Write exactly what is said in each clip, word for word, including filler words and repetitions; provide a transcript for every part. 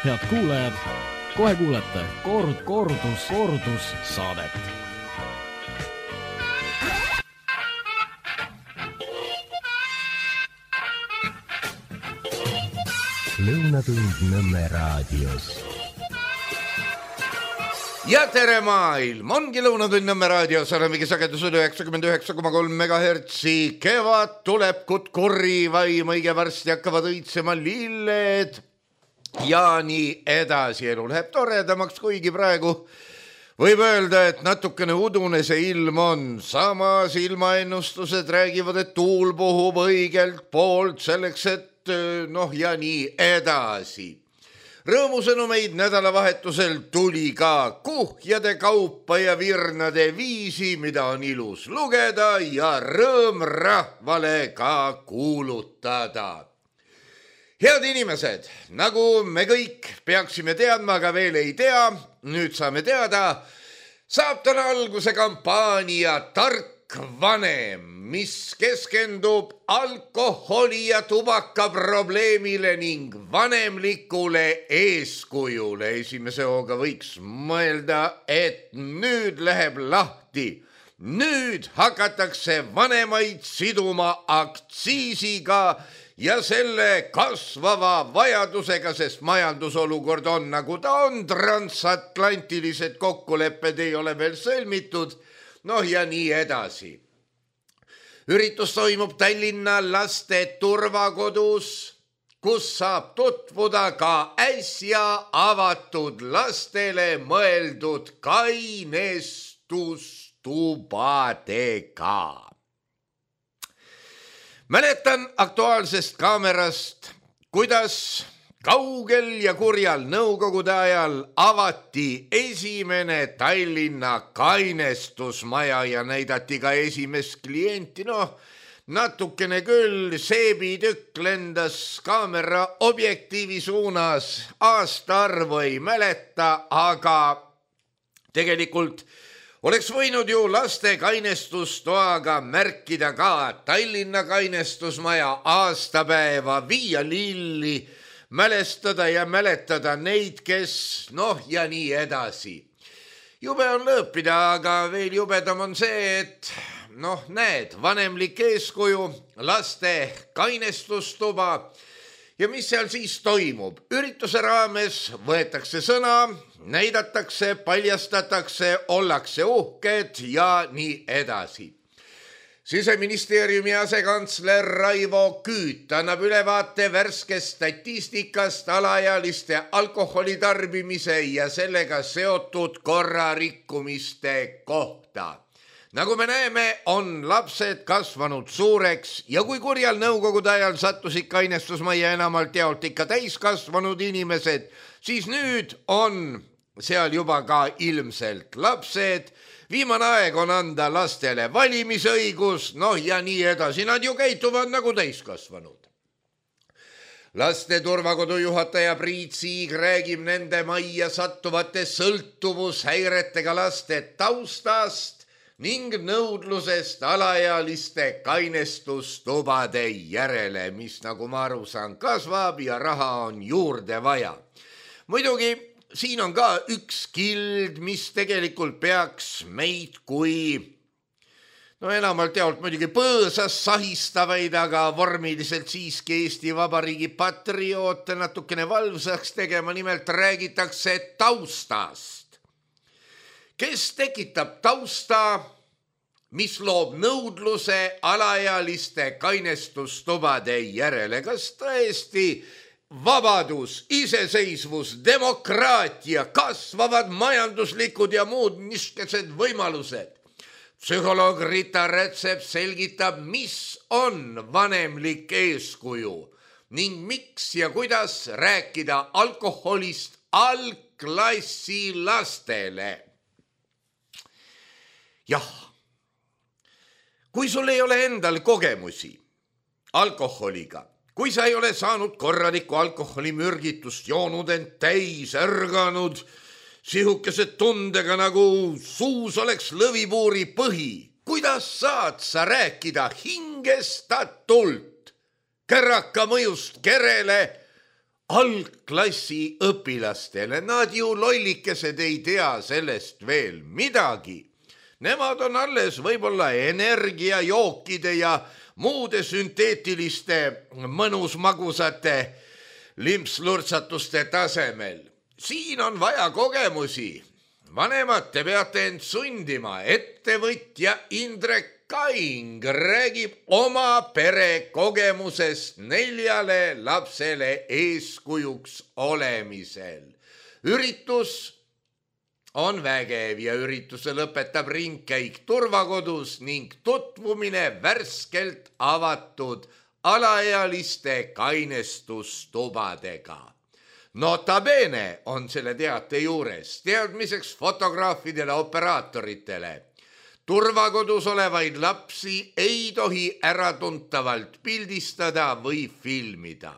Head kuulajad, kohe kuulete kord, kordus, kordus saadet. Lõunatund Nõmme raadios. Ja tere maailm, ongi Lõunatund Nõmme raadios, olemegi sagedus oli üheksakümmend üheksa koma kolm megahertsi. Kevad tuleb kutkurri vaim, õige varsti hakkavad õitsema lilled ja nii edasi. Elu läheb toredamaks, kuigi praegu võib öelda, et natukene udune see ilm on. Samas ilmaennustused räägivad, et tuul puhub õigelt poolt selleks, et noh ja nii edasi. Rõõmusõnumeid nädalavahetusel tuli ka kuhjade kaupa ja virnade viisi, mida on ilus lugeda ja rõõm rahvale ka kuulutada. Head inimesed, nagu me kõik peaksime teadma, aga veel ei tea, nüüd saame teada, saab täna alguse kampaania Tark vanem, mis keskendub alkoholi ja tubaka probleemile ning vanemlikule eeskujule. Esimese hooga võiks mõelda, et nüüd läheb lahti. Nüüd hakatakse vanemaid siduma aktsiisiga ja selle kasvava vajadusega, sest majandusolukord on nagu ta on, transatlantilised kokkulepped ei ole veel sõlmitud, noh ja nii edasi. Üritus toimub Tallinna laste turvakodus, kus saab tutvuda ka äsja avatud lastele mõeldud kainestustubadega. Mäletan Aktuaalsest kaamerast, kuidas kaugel ja kurjal nõukogude ajal avati esimene Tallinna kainestusmaja ja näidati ka esimest klienti. Noh, natukene küll seebitükk lendas kaamera objektiivi suunas, aastaarvu ei mäleta, aga tegelikult oleks võinud ju laste kainestustoaga märkida ka Tallinna kainestusmaja aastapäeva, viia lilli, mälestada ja mäletada neid, kes noh ja nii edasi. Jube on lõõpida, aga veel jubedam on see, et noh näed, vanemlik eeskuju, laste kainestustuba ja mis seal siis toimub? Ürituse raames võetakse sõna, näidatakse, paljastatakse, ollakse uhked ja nii edasi. Siseministeeriumi asekantsler Raivo Küüt annab ülevaate värskest statistikast alaealiste alkoholitarbimise ja sellega seotud korrarikkumiste kohta. Nagu me näeme, on lapsed kasvanud suureks ja kui kurjal nõukogude ajal sattusid kainestusmajja enamalt jaolt ikka täiskasvanud inimesed, siis nüüd on seal juba ka ilmselt lapsed. Viimane aeg on anda lastele valimisõigus, noh ja nii edasi, nad ju käituvad nagu täiskasvanud. Laste turvakodu juhataja Priit Siig räägib nende majja sattuvate sõltuvushäiretega laste taustast ning nõudlusest alaealiste kainestustubade järele, mis nagu ma aru saan kasvab ja raha on juurde vaja. Muidugi siin on ka üks kild, mis tegelikult peaks meid kui, no enamalt jaolt muidugi põõsas sahistavaid, aga vormiliselt siiski Eesti Vabariigi patrioote natukene valvsaks tegema, nimelt räägitakse taustast. Kes tekitab tausta, mis loob nõudluse alaealiste kainestustubade järele? Kas tõesti vabadus, iseseisvus, demokraatia, kasvavad majanduslikud ja muud niskesed võimalused? Psühholoog Rita Rätsep selgitab, mis on vanemlik eeskuju ning miks ja kuidas rääkida alkoholist algklassi lastele. Jah, kui sul ei ole endal kogemusi alkoholiga, kui sa ei ole saanud korralikku alkoholimürgitust, joonud end täis, ärganud, sihukesed tundega nagu suus oleks lõvipuuri põhi, kuidas saad sa rääkida hingestatult käraka mõjust kerele algklassi õpilastele, nad ju lollikesed ei tea sellest veel midagi. Nemad on alles võib-olla energiajookide ja muude sünteetiliste mõnusmagusate limpslurtsatuste tasemel. Siin on vaja kogemusi. Vanemad, te peate end sundima. Ettevõtja Indrek Kaing räägib oma pere kogemusest neljale lapsele eeskujuks olemisel. Üritus on vägev ja ürituse lõpetab ringkäik turvakodus ning tutvumine värskelt avatud alaealiste kainestustubadega. Notabene on selle teate juures teadmiseks fotograafidele, operaatoritele. Turvakodus olevaid lapsi ei tohi äratuntavalt pildistada või filmida.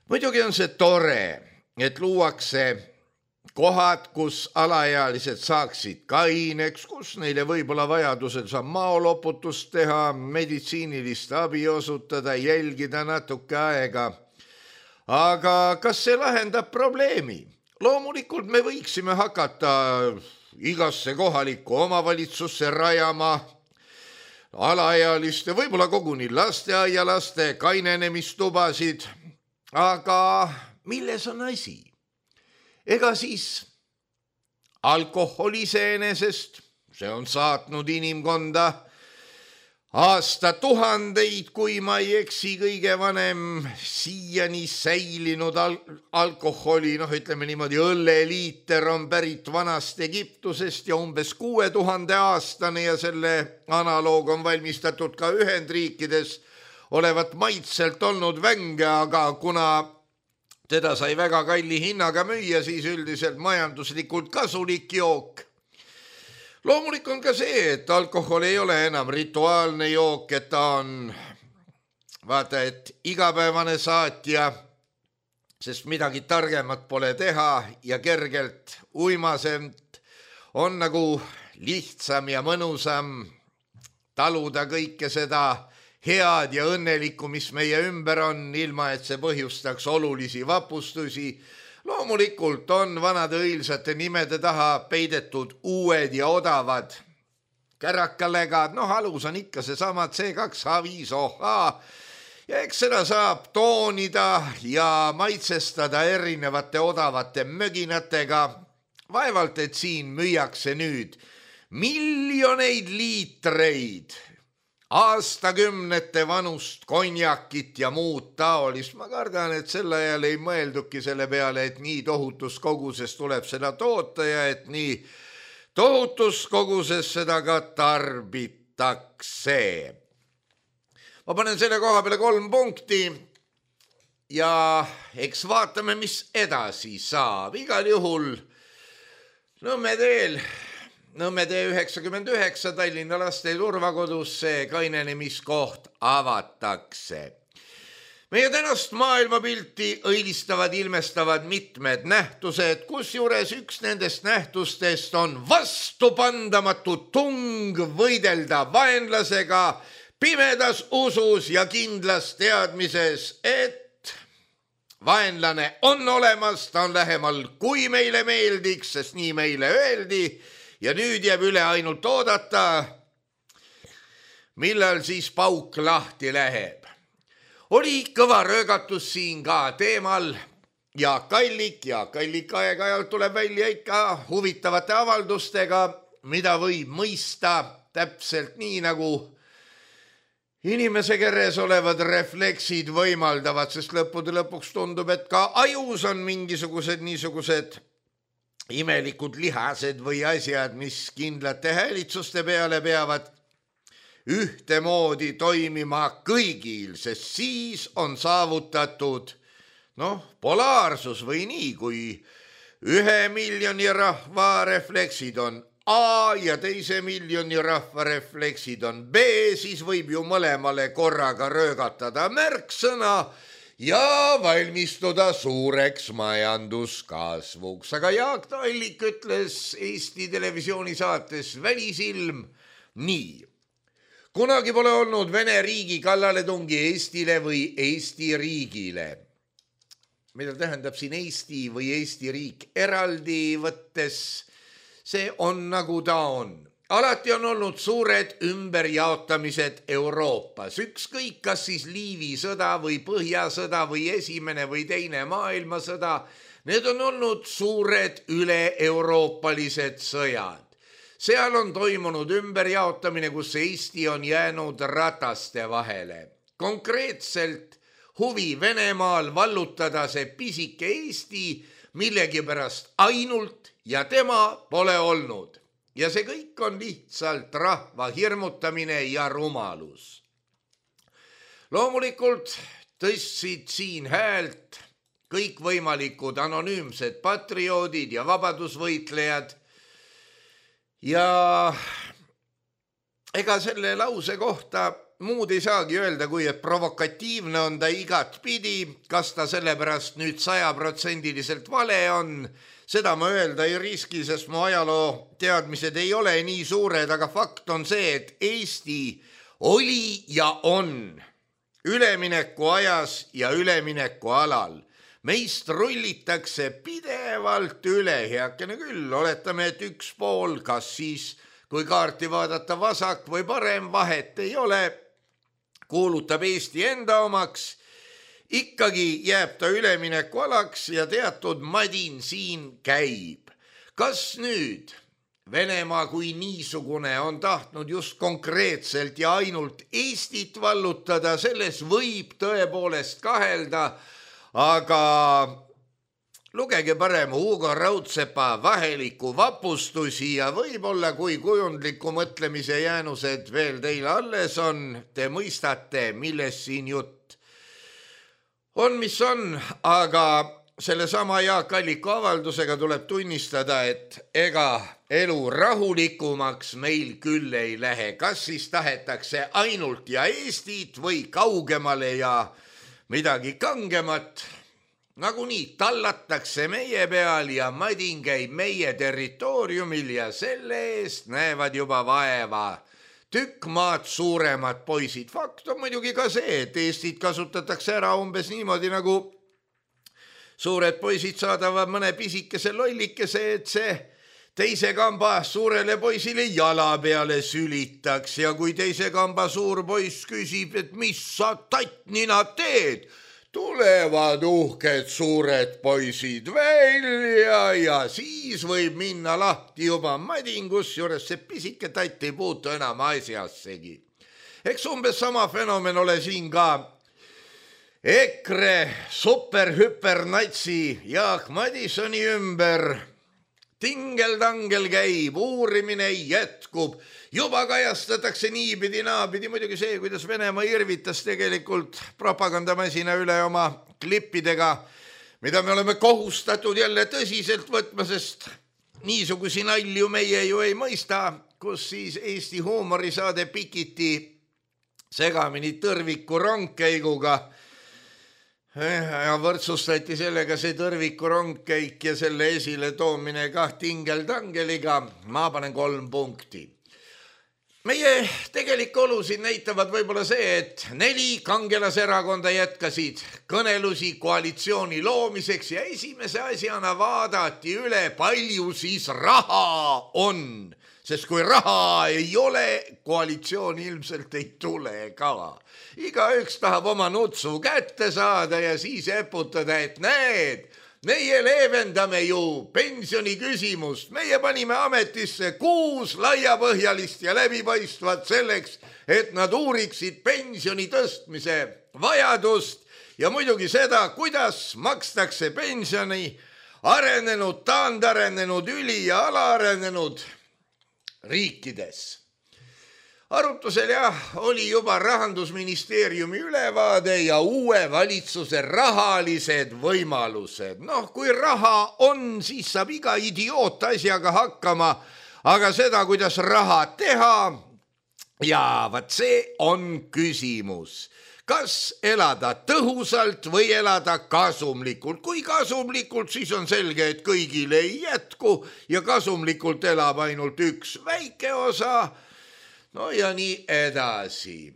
Muidugi on see tore, et luuakse kohad, kus alaealised saaksid kaineks, kus neile võib-olla vajadusel saab maoloputust teha, meditsiinilist abi osutada, jälgida natuke aega. Aga kas see lahendab probleemi? Loomulikult me võiksime hakata igasse kohalikku omavalitsusse rajama alaealiste, võib-olla koguni lasteaialaste kainenemistubasid. Aga milles on asi? Ega siis alkohol iseenesest, see on saatnud inimkonda aastatuhandeid, kui ma ei eksi, kõige vanem siiani säilinud al- alkoholi, noh ütleme niimoodi, õlleliiter on pärit vanast Egiptusest ja umbes kuue tuhande aastane ja selle analoog on valmistatud ka Ühendriikides olevat maitselt olnud vänge, aga kuna teda sai väga kalli hinnaga müüa, siis üldiselt majanduslikult kasulik jook. Loomulik on ka see, et alkohol ei ole enam rituaalne jook, et ta on, vaata, et igapäevane saatja, sest midagi targemat pole teha ja kergelt uimasemt on nagu lihtsam ja mõnusam taluda kõike seda head ja õnnelikku, mis meie ümber on, ilma et see põhjustaks olulisi vapustusi. Loomulikult on vanade õilsate nimede taha peidetud uued ja odavad kärakalegad, noh alus on ikka seesama C kaks H viis O H ja eks seda saab toonida ja maitsestada erinevate odavate möginatega. Vaevalt, et siin müüakse nüüd miljoneid liitreid aastakümnete vanust konjakit ja muud taolist. Ma kardan, et sel ajal ei mõelduki selle peale, et nii tohutus koguses tuleb seda toota ja et nii tohutus koguses seda ka tarbitakse. Ma panen selle koha peale kolm punkti ja eks vaatame, mis edasi saab. Igal juhul Nõmme teel Nõmme tee üheksakümmend üheksa Tallinna laste turvakodus see kainenemiskoht avatakse. Meie tänast maailmapilti õilistavad, ilmestavad mitmed nähtused, kusjuures üks nendest nähtustest on vastupandamatu tung võidelda vaenlasega pimedas usus ja kindlas teadmises, et vaenlane on olemas, ta on lähemal, kui meile meeldiks, sest nii meile öeldi. Ja nüüd jääb üle ainult oodata, millal siis pauk lahti läheb. Oli kõva röögatus siin ka teemal Jaak Allik. Jaak Allik aeg-ajalt tuleb välja ikka huvitavate avaldustega, mida võib mõista täpselt nii, nagu inimese keres olevad refleksid võimaldavad, sest lõppude lõpuks tundub, et ka ajus on mingisugused niisugused imelikud lihased või asjad, mis kindlate häälitsuste peale peavad ühtemoodi toimima kõigil, sest siis on saavutatud noh, polaarsus või nii, kui ühe miljoni rahva refleksid on A ja teise miljoni rahva refleksid on B, siis võib ju mõlemale korraga röögatada märksõna ja valmistuda suureks majanduskasvuks. Aga Jaak Allik ütles Eesti televisiooni saates Välisilm nii. Kunagi pole olnud Vene riigi kallaletungi Eestile või Eesti riigile. Mida tähendab siin Eesti või Eesti riik? Eraldi võttes see on nagu ta on. Alati on olnud suured ümberjaotamised Euroopas. Ükskõik, kas siis Liivi sõda või Põhjasõda või esimene või teine maailmasõda, need on olnud suured üle-euroopalised sõjad. Seal on toimunud ümberjaotamine, kus Eesti on jäänud rataste vahele. Konkreetselt huvi Venemaal vallutada see pisike Eesti millegipärast ainult ja tema pole olnud. Ja see kõik on lihtsalt rahva hirmutamine ja rumalus. Loomulikult tõstsid siin häält kõikvõimalikud anonüümsed patrioodid ja vabadusvõitlejad. Ja ega selle lause kohta muud ei saagi öelda, kui et provokatiivne on ta igat pidi, kas ta sellepärast nüüd sajaprotsendiliselt vale on. Seda ma öelda ei riski, sest mu ajaloo teadmised ei ole nii suured, aga fakt on see, et Eesti oli ja on ülemineku ajas ja ülemineku alal. Meist rullitakse pidevalt üle, heakene küll, oletame, et üks pool, kas siis, kui kaarti vaadata vasak või parem, vahet ei ole, kuulutab Eesti enda omaks, ikkagi jääb ta ülemineku alaks ja teatud madin siin käib. Kas nüüd Venemaa kui niisugune on tahtnud just konkreetselt ja ainult Eestit vallutada, selles võib tõepoolest kahelda, aga lugege parem Hugo Raudsepa vaheliku vapustusi ja võib-olla kui kujundliku mõtlemise jäänused veel teile alles on, te mõistate, milles siin jutt on, mis on, aga selle sama Jaak Alliku avaldusega tuleb tunnistada, et ega elu rahulikumaks meil küll ei lähe. Kas siis tahetakse ainult ja Eestit või kaugemale ja midagi kangemat? Nagunii tallatakse meie peal ja madin käib meie territooriumil ja selle eest näevad juba vaeva tükk maad suuremad poisid. Fakt on muidugi ka see, et Eestit kasutatakse ära umbes niimoodi, nagu suured poisid saadavad mõne pisikese lollikese, et see teise kamba suurele poisile jala peale sülitaks. Ja kui teise kamba suur poiss küsib, et mis sa tattnina teed, tulevad uhked suured poisid välja ja siis võib minna lahti juba madingus, juures see pisike tatt ei puutu enam asjassegi. Eks umbes sama fenomen ole siin ka EKRE superhüpernatsi Jaak Madisoni ümber. Tingeldangel käib, uurimine jätkub, juba kajastatakse niipidi naapidi, muidugi see, kuidas Venemaa irvitas tegelikult propagandamasina üle oma klippidega, mida me oleme kohustatud jälle tõsiselt võtma, sest niisugusi nalju meie ju ei mõista, kus siis Eesti huumorisaade pikiti segamini tõrviku rongkäiguga ja võrdsustati sellega see tõrviku rongkäik ja selle esile toomine kah tingeldangeliga. Ma panen kolm punkti. Meie tegelik olusid näitavad võib-olla see, et neli kangelaserakonda jätkasid kõnelusi koalitsiooni loomiseks ja esimese asjana vaadati üle, palju siis raha on. Sest kui raha ei ole, koalitsioon ilmselt ei tule ka. Igaüks tahab oma nutsu kätte saada ja siis eputada, et näed, meie leevendame ju pensioni küsimust. Meie panime ametisse kuus laiapõhjalist ja läbipaistvat selleks, et nad uuriksid pensioni tõstmise vajadust ja muidugi seda, kuidas makstakse pensioni arenenud, taandarenenud, üli- ja alaarenenud riikides. Arutusel jah, oli juba Rahandusministeeriumi ülevaade ja uue valitsuse rahalised võimalused. Noh, kui raha on, siis saab iga idioot asjaga hakkama, aga seda, kuidas raha teha, ja vaat see on küsimus. Kas elada tõhusalt või elada kasumlikult? Kui kasumlikult, siis on selge, et kõigile ei jätku ja kasumlikult elab ainult üks väike osa. no ja nii edasi.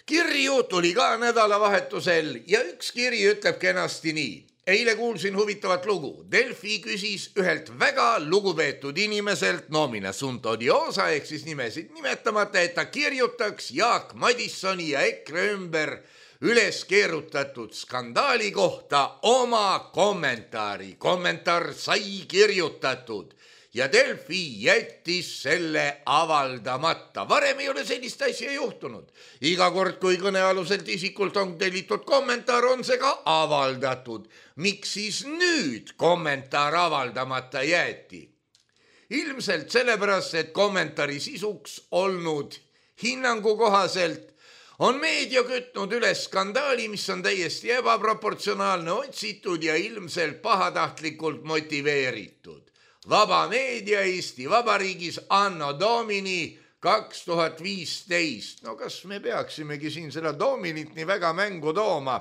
Kirju tuli ka nädalavahetusel ja üks kiri ütleb kenasti nii. Eile kuulsin huvitavat lugu. Delfi küsis ühelt väga lugupeetud inimeselt nomina sunt odiosa ehk siis nimesid nimetamata, et ta kirjutaks Jaak Madissoni ja EKRE ümber üles keerutatud skandaali kohta oma kommentaari. Kommentaar sai kirjutatud ja Delfi jättis selle avaldamata. Varem ei ole sellist asja juhtunud. Iga kord, kui kõnealuselt isikult on tellitud kommentaar, on see ka avaldatud. Miks siis nüüd kommentaar avaldamata jäeti? Ilmselt sellepärast, et kommentaari sisuks olnud hinnangu kohaselt on meedia kütnud üles skandaali, mis on täiesti ebaproportsionaalne, otsitud ja ilmselt pahatahtlikult motiveeritud. Vaba meedia Eesti Vabariigis anno domini kaks tuhat viisteist. No kas me peaksimegi siin seda dominit nii väga mängu tooma?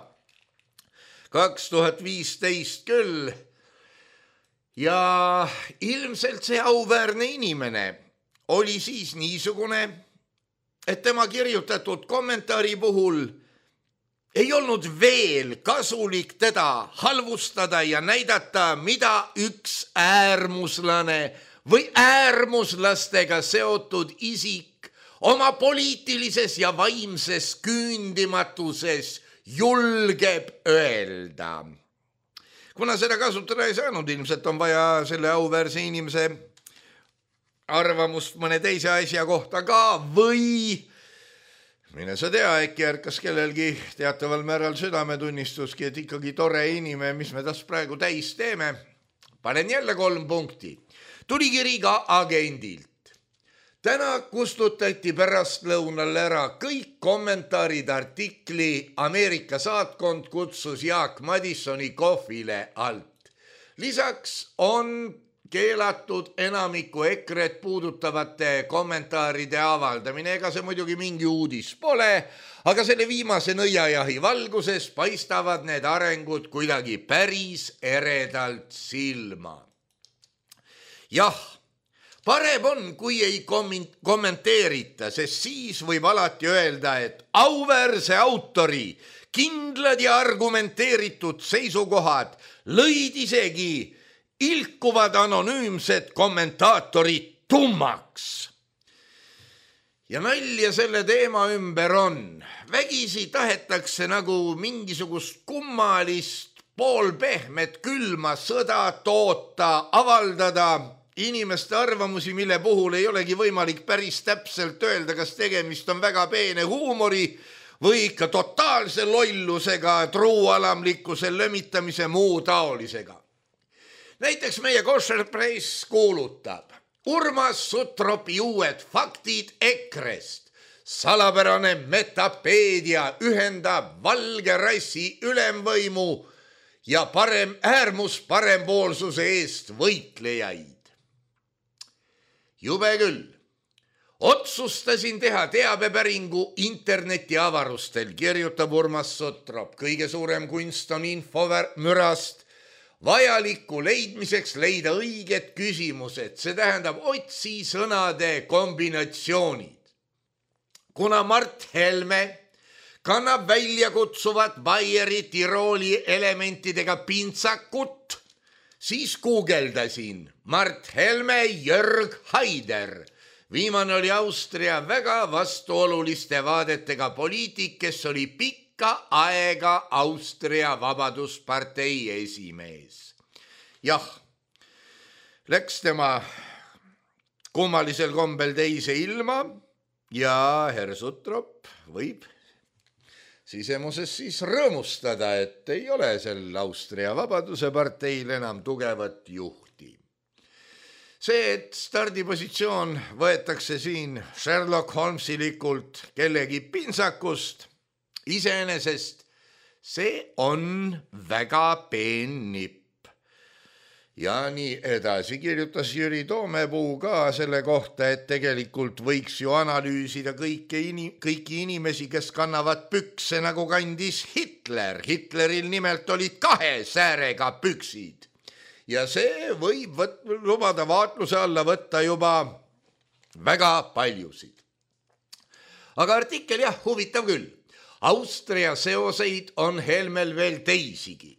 kaks tuhat viisteist küll. Ja ilmselt see auväärne inimene oli siis niisugune, et tema kirjutatud kommentaari puhul ei olnud veel kasulik teda halvustada ja näidata, mida üks äärmuslane või äärmuslastega seotud isik oma poliitilises ja vaimses küündimatuses julgeb öelda. Kuna seda kasutada ei saanud, ilmselt on vaja selle auväärse inimese arvamust mõne teise asja kohta ka või mine sa tea, äkki ärkas kellelgi teataval määral südametunnistuski, et ikkagi tore inimene, mis me tas praegu täis teeme. Panen jälle kolm punkti. Tuli kiri ka agendilt. Täna kustutati pärastlõunal ära kõik kommentaarid artikli Ameerika saatkond kutsus Jaak Madissoni kohvile alt. Lisaks on keelatud enamiku EKRE-t puudutavate kommentaaride avaldamine. Ega see muidugi mingi uudis pole, aga selle viimase nõiajahi valguses paistavad need arengud kuidagi päris eredalt silma. Jah, parem on, kui ei kommenteerita, sest siis võib alati öelda, et auväärse autori kindlad ja argumenteeritud seisukohad lõid isegi ilkuvad anonüümsed kommentaatorid tummaks. Ja nalja selle teema ümber on. Vägisi tahetakse nagu mingisugust kummalist, poolpehmet, külma sõda toota, avaldada inimeste arvamusi, mille puhul ei olegi võimalik päris täpselt öelda, kas tegemist on väga peene huumori või ikka totaalse lollusega, truualamlikkuse lömitamise muu taolisega. Näiteks meie Kosher Press kuulutab Urmas Sutropi uued faktid EKRE-st. Salapärane metapeedia ühendab valge rassi ülemvõimu ja parem äärmus parempoolsuse eest võitlejaid. Jube küll. Otsustasin teha teabepäringu internetiavarustel, kirjutab Urmas Sutrop. Kõige suurem kunst on infomürast vajaliku leidmiseks leida õiged küsimused, see tähendab otsi sõnade kombinatsioonid. Kuna Mart Helme kannab välja kutsuvat Baieri Tirooli elementidega pintsakut, siis guugeldasin Mart Helme Jörg Haider. Viimane oli Austria väga vastuoluliste vaadetega poliitik, kes oli pikk ka aega Austria Vabaduspartei esimees. Jah, läks tema kummalisel kombel teise ilma ja herr Sutrop võib sisemuses siis rõõmustada, et ei ole sel Austria Vabaduse parteil enam tugevat juhti. See, et stardipositsioon võetakse siin Sherlock Holmesilikult kellegi pintsakust, iseenesest see on väga peen nipp. Ja nii edasi kirjutas Jüri Toomepuu ka selle kohta, et tegelikult võiks ju analüüsida kõiki, inim- kõiki inimesi, kes kannavad pükse nagu kandis Hitler. Hitleril nimelt olid kahe säärega püksid. Ja see võib võt- lubada vaatluse alla võtta juba väga paljusid. aga artikkel jah, huvitav küll. Austria seoseid on Helmel veel teisigi.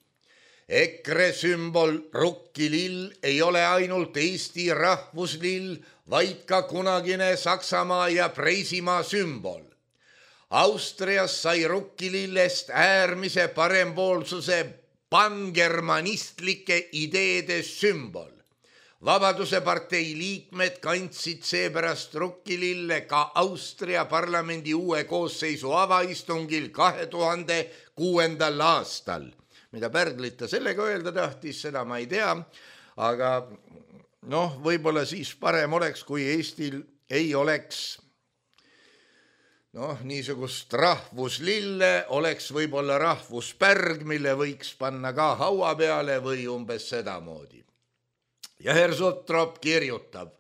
EKRE sümbol rukkilill ei ole ainult Eesti rahvuslill, vaid ka kunagine Saksamaa ja Preisimaa sümbol. Austrias sai rukkilillest äärmise parempoolsuse pangermanistlike ideede sümbol. Vabaduse partei liikmed kandsid seepärast rukkilille ka Austria parlamendi uue koosseisu avaistungil kahe tuhande kuuendal aastal. Mida Pärglit ta sellega öelda tahtis, seda ma ei tea, aga noh, võib-olla siis parem oleks, kui Eestil ei oleks noh, niisugust rahvuslille, oleks võib-olla rahvuspärg, mille võiks panna ka haua peale või umbes sedamoodi. Ja Herr Suttrop kirjutab,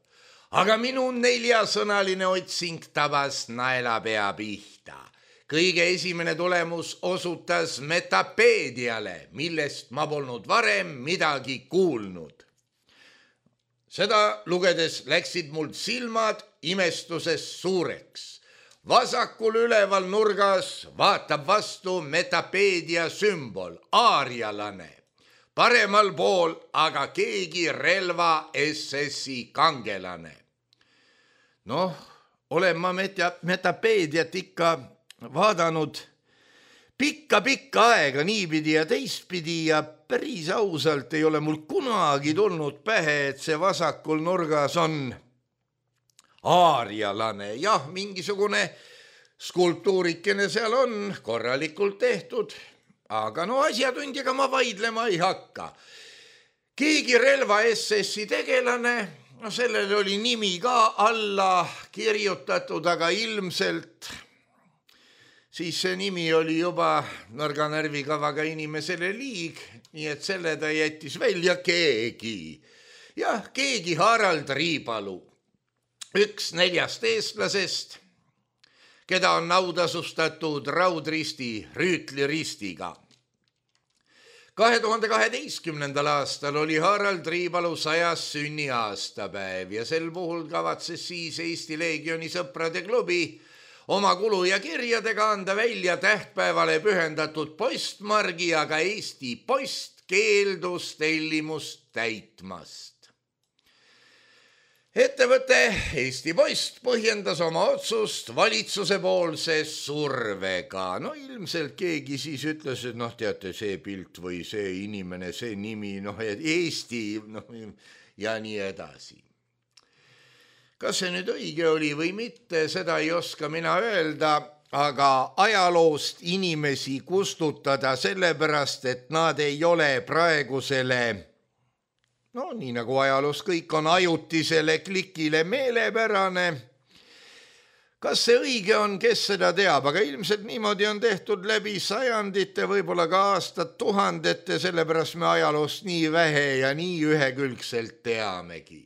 aga minu neljasõnaline otsing tabas naelapea pihta. Kõige esimene tulemus osutas Metapeediale, millest ma polnud varem midagi kuulnud. Seda lugedes läksid mul silmad imestuses suureks. Vasakul üleval nurgas vaatab vastu Metapeedia sümbol, aarialane. Paremal pool aga keegi relva S S-i kangelane. Noh, olen ma Metapeediat ikka vaadanud pikka-pikka aega niipidi ja teistpidi ja päris ausalt ei ole mul kunagi tulnud pähe, et see vasakul nurgas on aarialane. Jah, mingisugune skulptuurikene seal on korralikult tehtud, aga no asjatundjaga ma vaidlema ei hakka. Keegi relva S S-i tegelane, no sellel oli nimi ka alla kirjutatud, aga ilmselt siis see nimi oli juba nõrga närvikavaga inimesele liig, nii et selle ta jättis välja keegi. Jah, keegi Harald Riipalu, üks neljast eestlasest, keda on nautasustatud raudristi rüütliristiga. kahe tuhande kaheteistkümnendal aastal oli Harald Riipalu sajas sünniaastapäev ja sel puhul kavatses siis Eesti Leegioni sõprade klubi oma kulu ja kirjadega anda välja tähtpäevale pühendatud postmargi, aga Eesti Post keeldus tellimust täitmast. Ettevõte Eesti Post põhjendas oma otsust valitsuse poolse survega. No ilmselt keegi siis ütles, et noh, teate, see pilt või see inimene, see nimi, noh, Eesti noh, ja nii edasi. Kas see nüüd õige oli või mitte, seda ei oska mina öelda, aga ajaloost inimesi kustutada sellepärast, et nad ei ole praegusele, no nii nagu ajaloos kõik on ajutisele klikile meelepärane. Kas see õige on, kes seda teab, aga ilmselt niimoodi on tehtud läbi sajandite, võib-olla ka aastat tuhandete, sellepärast me ajaloost nii vähe ja nii ühekülgselt teamegi.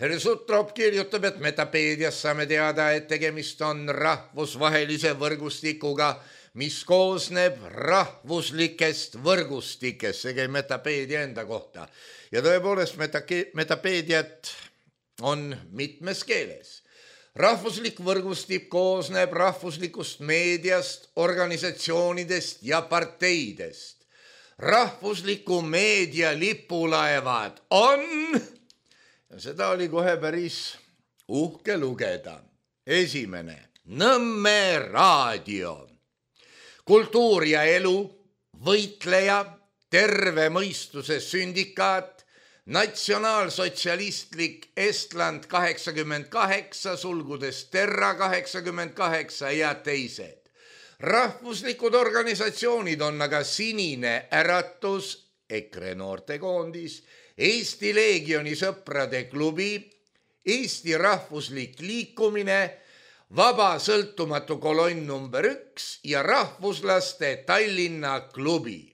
Herr Suttrop kirjutab, et Metapeedias saame teada, et tegemist on rahvusvahelise võrgustikuga, mis koosneb rahvuslikest võrgustikest, see käib Metapeedia enda kohta. Ja tõepoolest Metapeediat on mitmes keeles. Rahvuslik võrgustik koosneb rahvuslikust meediast, organisatsioonidest ja parteidest. Rahvusliku meedia lipulaevad on... Seda oli kohe päris uhke lugeda. Esimene, Nõmme raadio. Kultuur ja elu, võitleja, terve mõistuse sündikaat, natsionaalsotsialistlik Estland kaheksakümmend kaheksa, sulgudes Terra kaheksakümmend kaheksa ja teised. Rahvuslikud organisatsioonid on aga Sinine Äratus, EKRE noortekoondis, Eesti Leegioni sõprade klubi, Eesti rahvuslik liikumine, Vaba sõltumatu kolonn number üks ja rahvuslaste Tallinna klubi.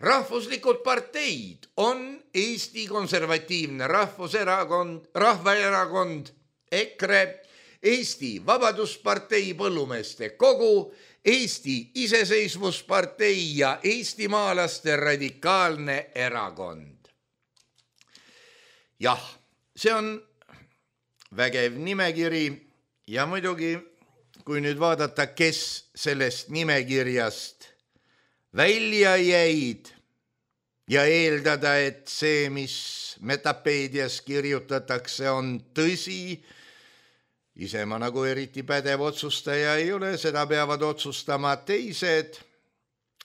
Rahvuslikud parteid on Eesti Konservatiivne Rahvuserakond, Rahvaerakond, EKRE, Eesti Vabaduspartei Põllumeeste Kogu, Eesti Iseseisvuspartei ja Eestimaalaste Radikaalne Erakond. Jah, see on vägev nimekiri ja muidugi kui nüüd vaadata, kes sellest nimekirjast välja jäid ja eeldada, et see, mis Metapeedias kirjutatakse, on tõsi, ise ma nagu eriti pädev otsustaja ei ole, seda peavad otsustama teised,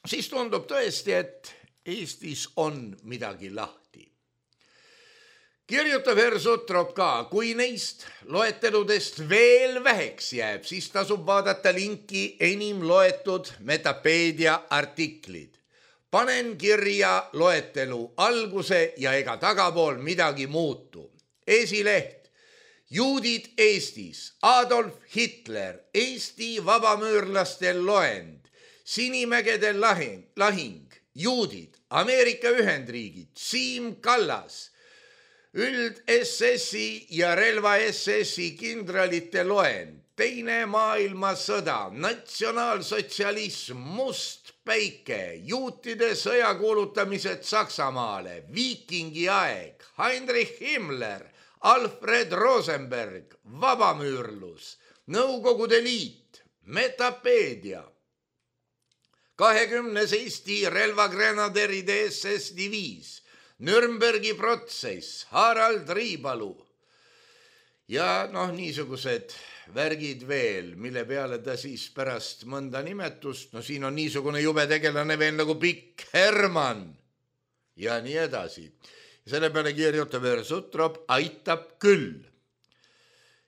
siis tundub tõesti, et Eestis on midagi lahti. Kirjutab Herr Sutrop ka, kui neist loeteludest veel väheks jääb, siis tasub vaadata linki enim loetud Metapeedia artiklid. Panen kirja loetelu alguse ja ega tagapool midagi muutu. Esileht, juudid Eestis, Adolf Hitler, Eesti vabamüürlaste loend, Sinimägede lahing, lahing, juudid, Ameerika Ühendriigid, Siim Kallas, üld S S-i ja relva S S-i kindralite loend, teine maailmasõda, natsionaalsotsialism, must päike, juutide sõja kuulutamised Saksamaale, viikingi aeg, Heinrich Himmler, Alfred Rosenberg, vabamüürlus, Nõukogude Liit, Metapeedia, kahekümnes Eesti relvagrenaderide S S diviis, Nürnbergi protsess, Harald Riibalu ja noh, niisugused värgid veel, mille peale ta siis pärast mõnda nimetust, no siin on niisugune jube tegelane veel nagu Pikk Hermann ja nii edasi. Selle peale kirjutab Herr Sutrop, aitab küll.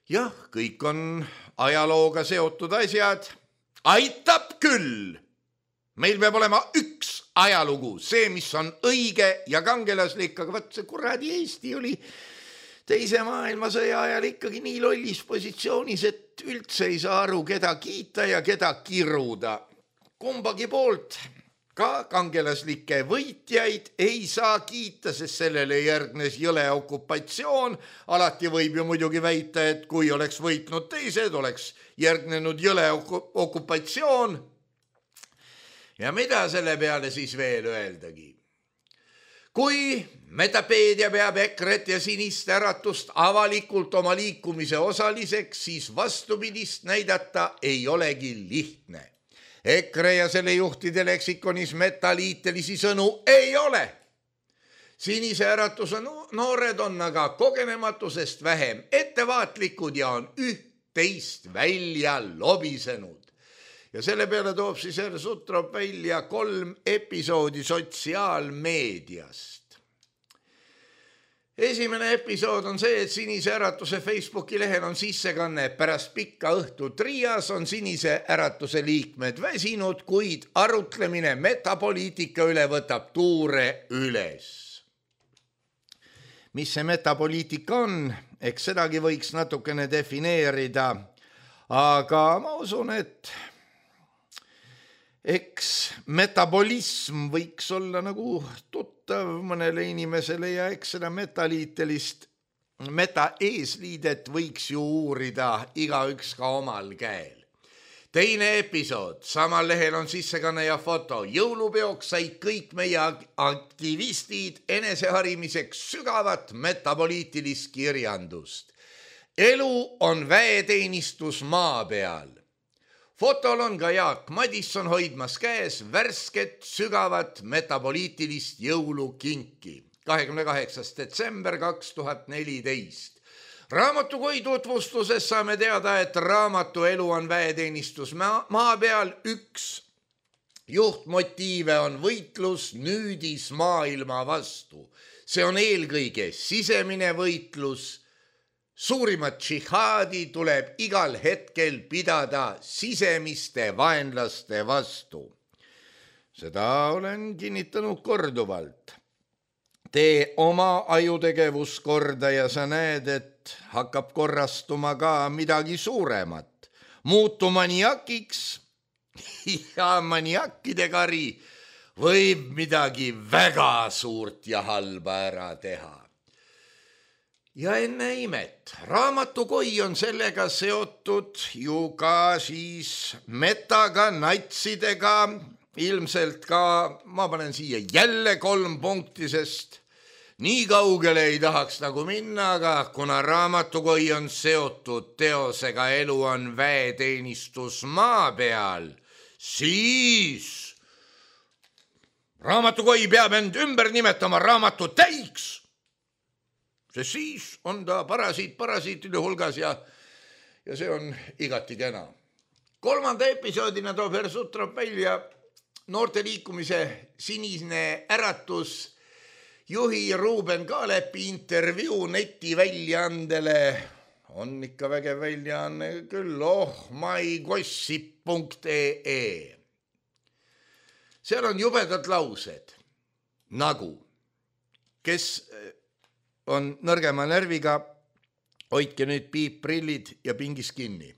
Jah, kõik on ajalooga seotud asjad, aitab küll. Meil peab olema üks ajalugu, see, mis on õige ja kangelaslik, aga vaat see kuradi Eesti oli teise maailmasõja ajal ikkagi nii lollis positsioonis, et üldse ei saa aru, keda kiita ja keda kiruda. Kumbagi poolt ka kangelaslikke võitjaid ei saa kiita, sest sellele järgnes jõle okupatsioon. Alati võib ju muidugi väita, et kui oleks võitnud teised, oleks järgnenud jõle okupatsioon. Ja mida selle peale siis veel öeldagi? Kui Metapeedia peab EKRE-t ja Sinist Äratust avalikult oma liikumise osaliseks, siis vastupidist näidata ei olegi lihtne. EKRE ja selle juhtide leksikonis metaliitelisi sõnu ei ole. Sinise Äratuse noored on aga kogenematusest vähem ettevaatlikud ja on üht-teist välja lobisenud. Ja selle peale toob siis Herr Sutrop välja kolm episoodi sotsiaalmeediast. Esimene episood on see, et Sinise Äratuse Facebooki lehel on sissekanne. Pärast pikka õhtu trias on Sinise Äratuse liikmed väsinud, kuid arutlemine metapoliitika üle võtab tuure üles. Mis see metapoliitika on? Eks sedagi võiks natukene defineerida, aga ma usun, et eks metabolism võiks olla nagu tuttav mõnele inimesele ja eks seda metaliitelist meta-eesliidet võiks ju uurida igaüks ka omal käel. Teine episood, samal lehel on sissekanne ja foto. Jõulupeoks said kõik meie aktivistid eneseharimiseks sügavat metapoliitilist kirjandust. Elu on väeteenistus maa peal. Fotol on ka Jaak Madisson hoidmas käes värsket sügavat metapoliitilist jõulukinki. kahekümne kaheksas detsember kaks tuhat neliteist. Raamatukoi tutvustuses saame teada, et raamatu Elu on väeteenistus maa peal üks juhtmotiive on võitlus nüüdis maailma vastu. See on eelkõige sisemine võitlus. Suurimat džihaadi tuleb igal hetkel pidada sisemiste vaenlaste vastu. Seda olen kinnitanud korduvalt. Tee oma ajutegevuskorda ja sa näed, et hakkab korrastuma ka midagi suuremat. Muutu maniakiks ja maniakide kari võib midagi väga suurt ja halba ära teha. Ja enne imet, raamatukoi on sellega seotud ju ka siis metaga, natsidega, ilmselt ka, ma panen siia jälle kolm punkti, sest nii kaugele ei tahaks nagu minna, aga kuna raamatukoi on seotud teosega Elu on väeteenistus maa peal, siis raamatukoi peab end ümber nimetama raamatutäiks, sest siis on ta parasiit parasiitide hulgas ja, ja see on igati kena. Kolmanda episoodina toob Herr Sutrop välja noorte liikumise Sinine äratus juhi Ruuben Kaalepi intervjuu netiväljaandele. On ikka vägev väljaanne küll, oh my gossip punkt ee. Seal on jubedad laused, nagu, kes on nõrgema närviga, hoidke nüüd piipprillid ja pingis kinni.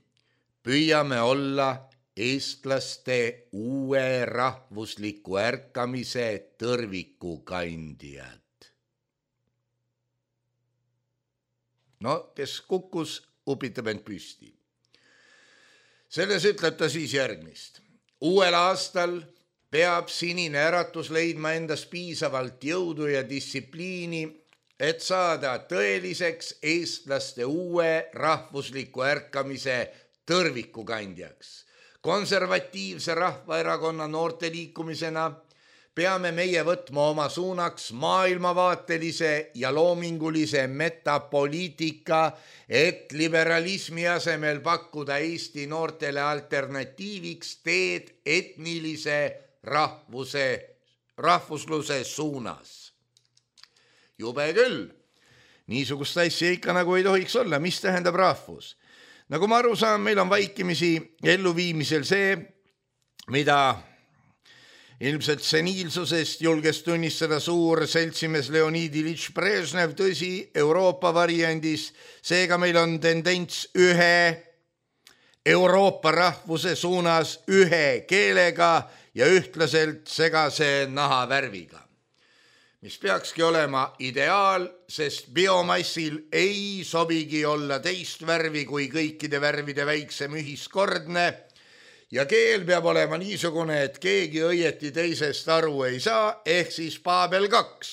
Püüame olla eestlaste uue rahvusliku ärkamise tõrvikukandjad. No, kes kukkus, upitab end püsti. Selles ütleb ta siis järgmist. Uuel aastal peab Sinine äratus leidma endas piisavalt jõudu ja distsipliini, et saada tõeliseks eestlaste uue rahvusliku ärkamise tõrvikukandjaks. Konservatiivse rahvaerakonna noorte liikumisena peame meie võtma oma suunaks maailmavaatelise ja loomingulise metapoliitika, et liberalismi asemel pakkuda Eesti noortele alternatiiviks teed etnilise rahvuse, rahvusluse suunas. Jube küll, niisugust asja ikka nagu ei tohiks olla, mis tähendab rahvus. Nagu ma aru saan, meil on vaikimisi elluviimisel see, mida ilmselt seniilsusest julges tunnistada suur seltsimees Leonid Ilitš Brežnev, tõsi, Euroopa variandis, seega meil on tendents ühe Euroopa rahvuse suunas ühe keelega ja ühtlaselt segase nahavärviga, mis peakski olema ideaal, sest biomassil ei sobigi olla teist värvi kui kõikide värvide väiksem ühiskordne ja keel peab olema niisugune, et keegi õieti teisest aru ei saa, ehk siis Paabel kaks.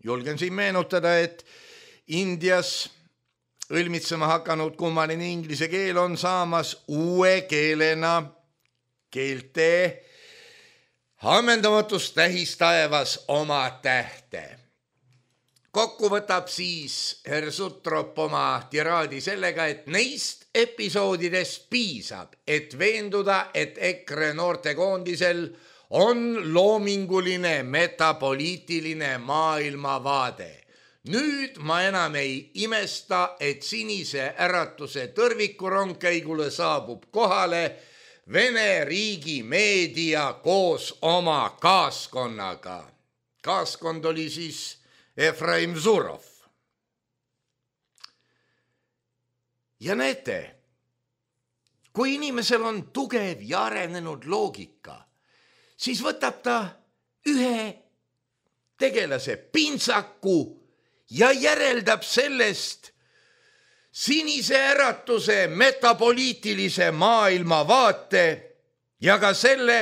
Julgen siin meenutada, et Indias õlmitsema hakanud kummaline inglise keel on saamas uue keelena keelte ammendamatus tähistaevas oma tähte. Kokku võtab siis Herr Sutrop oma tiraadi sellega, et neist episoodidest piisab, et veenduda, et EKRE noortekoondisel on loominguline metapoliitiline maailmavaade. Nüüd ma enam ei imesta, et Sinise äratuse tõrvikurongkäigule saabub kohale Vene riigi meedia koos oma kaaskonnaga. Kaaskond oli siis Efraim Zurov. Ja näete, kui inimesel on tugev ja arenenud loogika, siis võtab ta ühe tegelase pintsaku ja järeldab sellest Sinise äratuse metapoliitilise maailmavaate ja ka selle,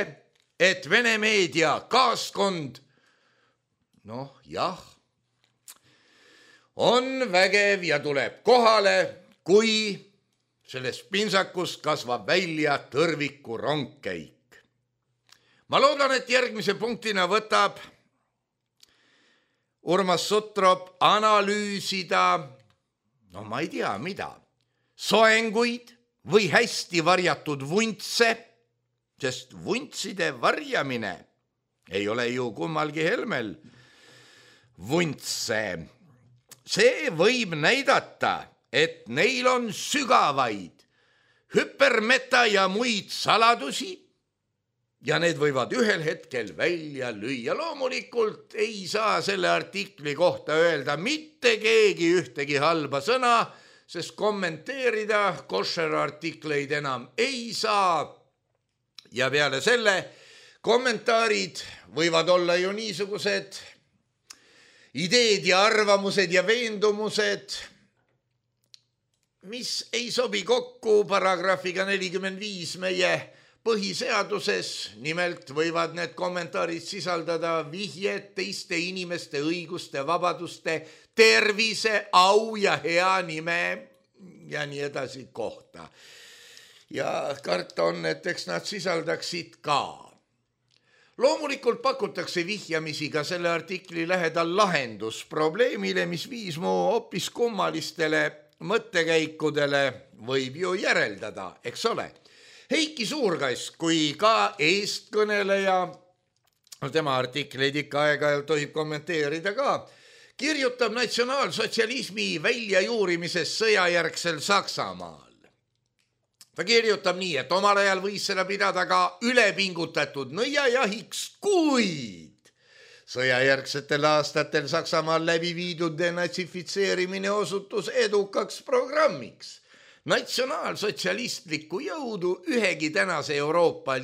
et Vene meedia kaaskond, noh jah, on vägev ja tuleb kohale, kui sellest pintsakust kasvab välja tõrviku rongkäik. Ma loodan, et järgmise punktina võtab Urmas Sutrop analüüsida, no ma ei tea, mida, soenguid või hästi varjatud vuntse, sest vuntside varjamine ei ole ju kummalgi helmel vuntse. See võib näidata, et neil on sügavaid hüpermeta ja muid saladusi ja need võivad ühel hetkel välja lüüa. Loomulikult ei saa selle artikli kohta öelda mitte keegi ühtegi halba sõna, sest kommenteerida košer artikleid enam ei saa. Ja peale selle kommentaarid võivad olla ju niisugused ideed ja arvamused ja veendumused, mis ei sobi kokku paragrahviga nelikümmend viis meie põhiseaduses, nimelt võivad need kommentaarid sisaldada vihjed teiste inimeste õiguste, vabaduste, tervise, au ja hea nime ja nii edasi kohta. Ja karta on, et eks nad sisaldaksid ka. Loomulikult pakutakse vihjamisi ka selle artikli lähedal lahendus probleemile, mis viis mu hoopis kummalistele mõttekäikudele, võib ju järeldada, eks ole. Heiki Suurkask, kui ka eestkõneleja, tema artikleid ikka aega tohib kommenteerida ka, kirjutab natsionaalsotsialismi väljajuurimises sõjajärgsel Saksamaal. Ta kirjutab nii, et omal ajal võis seda pidada ka ülepingutatud nõiajahiks, kuid sõjajärgsetel aastatel Saksamaal läbi viidud denatsifitseerimine osutus edukaks programmiks. Natsionaalsotsialistlikku jõudu ühegi tänase Euroopa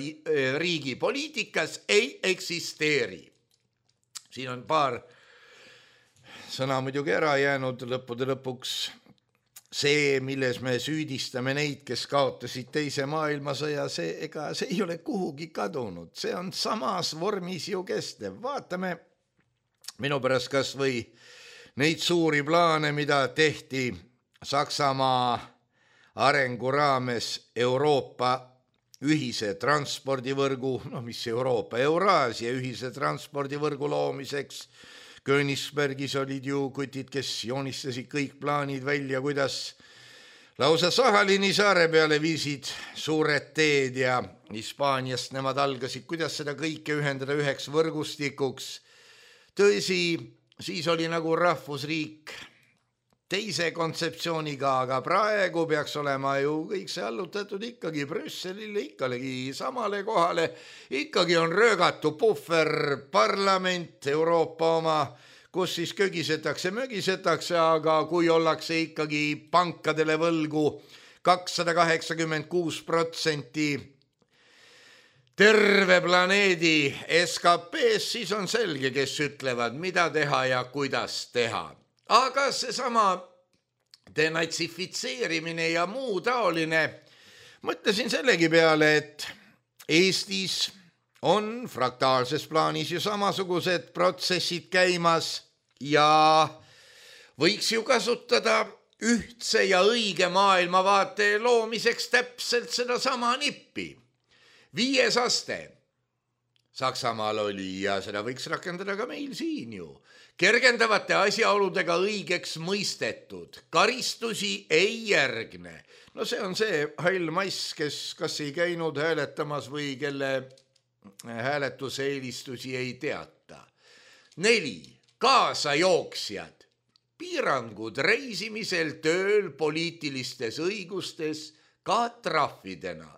riigi poliitikas ei eksisteeri. Siin on paar sõna muidugi ära jäänud lõppude lõpuks. See, milles me süüdistame neid, kes kaotasid teise maailmasõja, see, ega see ei ole kuhugi kadunud. See on samas vormis ju kestev. Vaatame minu pärast kas või neid suuri plaane, mida tehti Saksamaa arengu raames Euroopa ühise transpordivõrgu, no mis Euroopa, Euraasia ühise transpordivõrgu loomiseks. Königsbergis olid ju kutid, kes joonistasid kõik plaanid välja, kuidas lausa Sahalini saare peale viisid suured teed ja Hispaaniast nemad algasid, kuidas seda kõike ühendada üheks võrgustikuks. Tõsi, siis oli nagu rahvusriik teise kontseptsiooniga, aga praegu peaks olema ju kõik see allutatud ikkagi Brüsselile, ikkagi samale kohale. Ikkagi on röögatu puhver parlament, Euroopa oma, kus siis kögisetakse, mögisetakse, aga kui ollakse ikkagi pankadele võlgu kakssada kaheksakümmend kuus protsenti terve planeedi S K P-s, siis on selge, kes ütlevad, mida teha ja kuidas teha. Aga seesama denatsifitseerimine ja muu taoline, mõtlesin sellegi peale, et Eestis on fraktaalses plaanis ju samasugused protsessid käimas ja võiks ju kasutada ühtse ja õige maailmavaate loomiseks täpselt seda sama nippi. Viies aste Saksamaal oli ja seda võiks rakendada ka meil siin ju. Kergendavate asjaoludega õigeks mõistetud, karistusi ei järgne. No see on see hall mass, kes kas ei käinud hääletamas või kelle hääletuse eelistusi ei teata. Neli, kaasajooksjad, piirangud reisimisel, tööl, poliitilistes õigustes, ka trahvidena.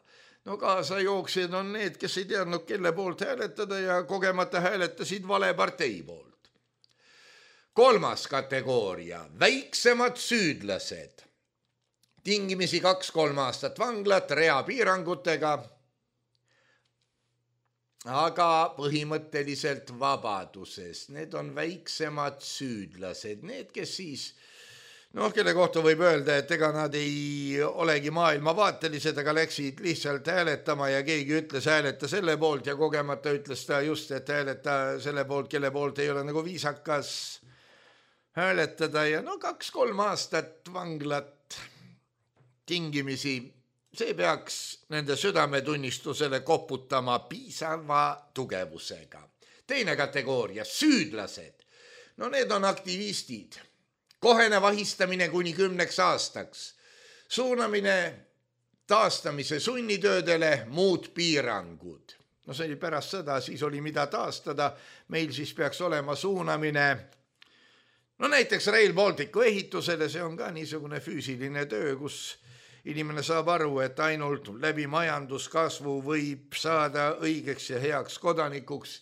No kaasajooksjad on need, kes ei teadnud, kelle poolt hääletada ja kogemata hääletasid vale partei poolt. Kolmas kategooria, väiksemad süüdlased. Tingimisi kaks-kolm aastat vanglat rea piirangutega, aga põhimõtteliselt vabaduses. Need on väiksemad süüdlased, need, kes siis, noh, kelle kohta võib öelda, et ega nad ei olegi maailmavaatelised, aga läksid lihtsalt hääletama ja keegi ütles hääleta selle poolt ja kogemata ütles ta just, et hääleta selle poolt, kelle poolt ei ole nagu viisakas hääletada ja no kaks-kolm aastat vanglat tingimisi, see peaks nende südametunnistusele koputama piisava tugevusega. Teine kategooria, süüdlased. No need on aktivistid. Kohene vahistamine kuni kümneks aastaks. Suunamine taastamise sunnitöödele, muud piirangud. No see oli pärast sõda, siis oli mida taastada. Meil siis peaks olema suunamine no näiteks Rail Balticu ehitusele, see on ka niisugune füüsiline töö, kus inimene saab aru, et ainult läbi majanduskasvu võib saada õigeks ja heaks kodanikuks.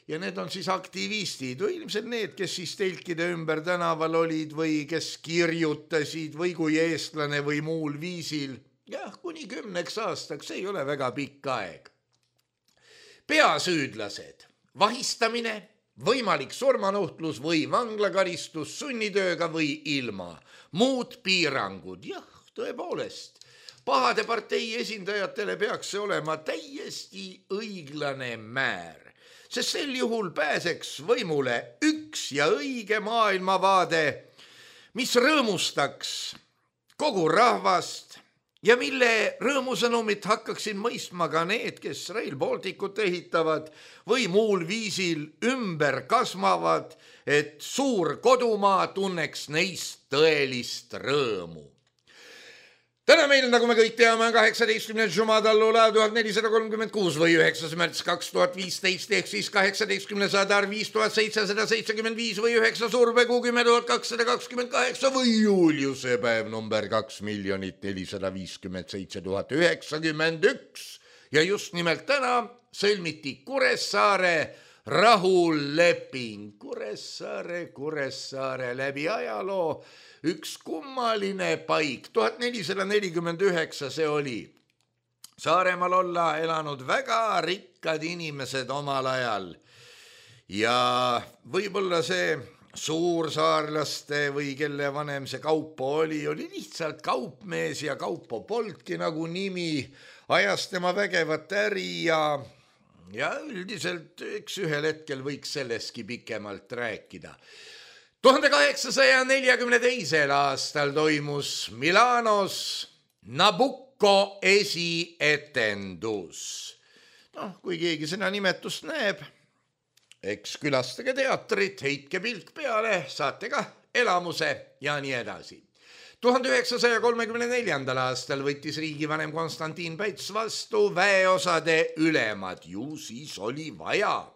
Ja need on siis aktivistid või ilmselt need, kes siis telkide ümber tänaval olid või kes kirjutasid või kui eestlane või muul viisil. Jah, kuni kümneks aastaks, see ei ole väga pikk aeg. Peasüüdlased, vahistamine, võimalik surmanuhtlus või vanglakaristus sunnitööga või ilma. Muud piirangud, jah, tõepoolest. pahade partei esindajatele peaks see olema täiesti õiglane määr, sest sel juhul pääseks võimule üks ja õige maailmavaade, mis rõõmustaks kogu rahvast ja mille rõõmusõnumit hakkaksid mõistma ka need, kes Rail Balticut ehitavad või muul viisil ümber kasvavad, et suur kodumaa tunneks neist tõelist rõõmu. Täna meil, nagu me kõik teame, on kaheksateistkümnes Jumadallula tuhat nelisada kolmkümmend kuus või üheksas märts kaks tuhat viisteist ehk siis kaheksateistkümnes Adar viis tuhat seitsesada seitsekümmend viis või üheksa Survekuu kümme tuhat kakssada kakskümmend kaheksa või Juuliuse päev number kaks miljonit nelisada viiskümmend seitse tuhat üheksakümmend üks. Ja just nimelt täna sõlmiti Kuressaare rahuleping. Kuressaare, Kuressaare läbi ajaloo. Üks kummaline paik, tuhat nelisada nelikümmend üheksa see oli. Saaremaal olla elanud väga rikkad inimesed omal ajal. Ja võib-olla see suursaarlaste või kelle vanem see Kaupo oli, oli lihtsalt kaupmees ja Kaupo polnudki nagu nimi, ajas tema vägevat äri ja, ja üldiselt üks ühel hetkel võiks selleski pikemalt rääkida. tuhande kaheksasaja neljakümne teisel aastal toimus Milanos Nabucco esietendus. Noh, kui keegi seda nimetust näeb, eks külastage teatrit, heitke pilk peale, saate ka elamuse ja nii edasi. tuhande üheksasaja kolmekümne neljandal aastal võttis riigivanem Konstantin Päts vastu väeosade ülemad, ju siis oli vaja.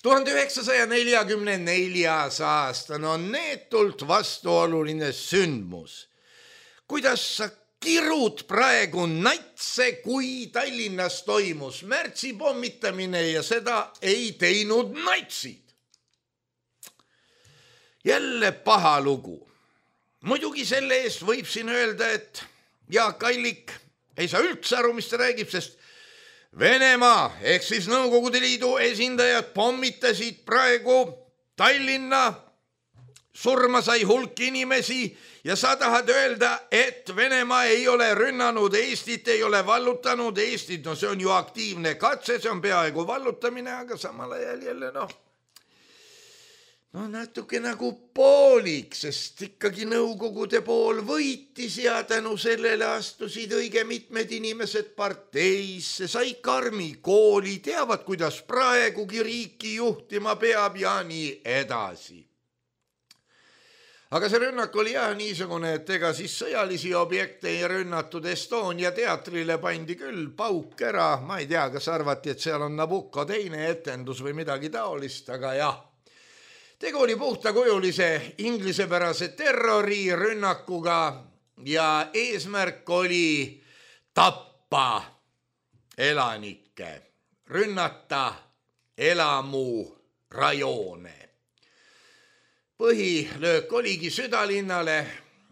tuhande üheksasaja neljakümne neljas aasta on neetult vastuoluline sündmus. Kuidas sa kirud praegu natse, kui Tallinnas toimus märtsi pommitamine ja seda ei teinud natsid? Jälle paha lugu. Muidugi selle eest võib siin öelda, et Jaak Allik ei saa üldse aru, mis ta räägib, sest Venemaa ehk siis Nõukogude Liidu esindajad pommitasid praegu Tallinna, surma sai hulk inimesi ja sa tahad öelda, et Venemaa ei ole rünnanud Eestit, ei ole vallutanud Eestit, no see on ju aktiivne katse, see on peaaegu vallutamine, aga samal ajal jälle noh, no natuke nagu poolik, sest ikkagi Nõukogude pool võitis ja tänu sellele astusid õige mitmed inimesed parteisse, sai karmi kooli, teavad, kuidas praegugi riiki juhtima peab ja nii edasi. Aga see rünnak oli jah niisugune, et ega siis sõjalisi objekte ei rünnatud, Estonia teatrile pandi küll pauk ära, ma ei tea, kas arvati, et seal on Nabucco teine etendus või midagi taolist, aga jah. Tegu oli puhtakujulise inglisepärase terrorirünnakuga ja eesmärk oli tappa elanikke, rünnata elamurajoone. Põhilöök oligi südalinnale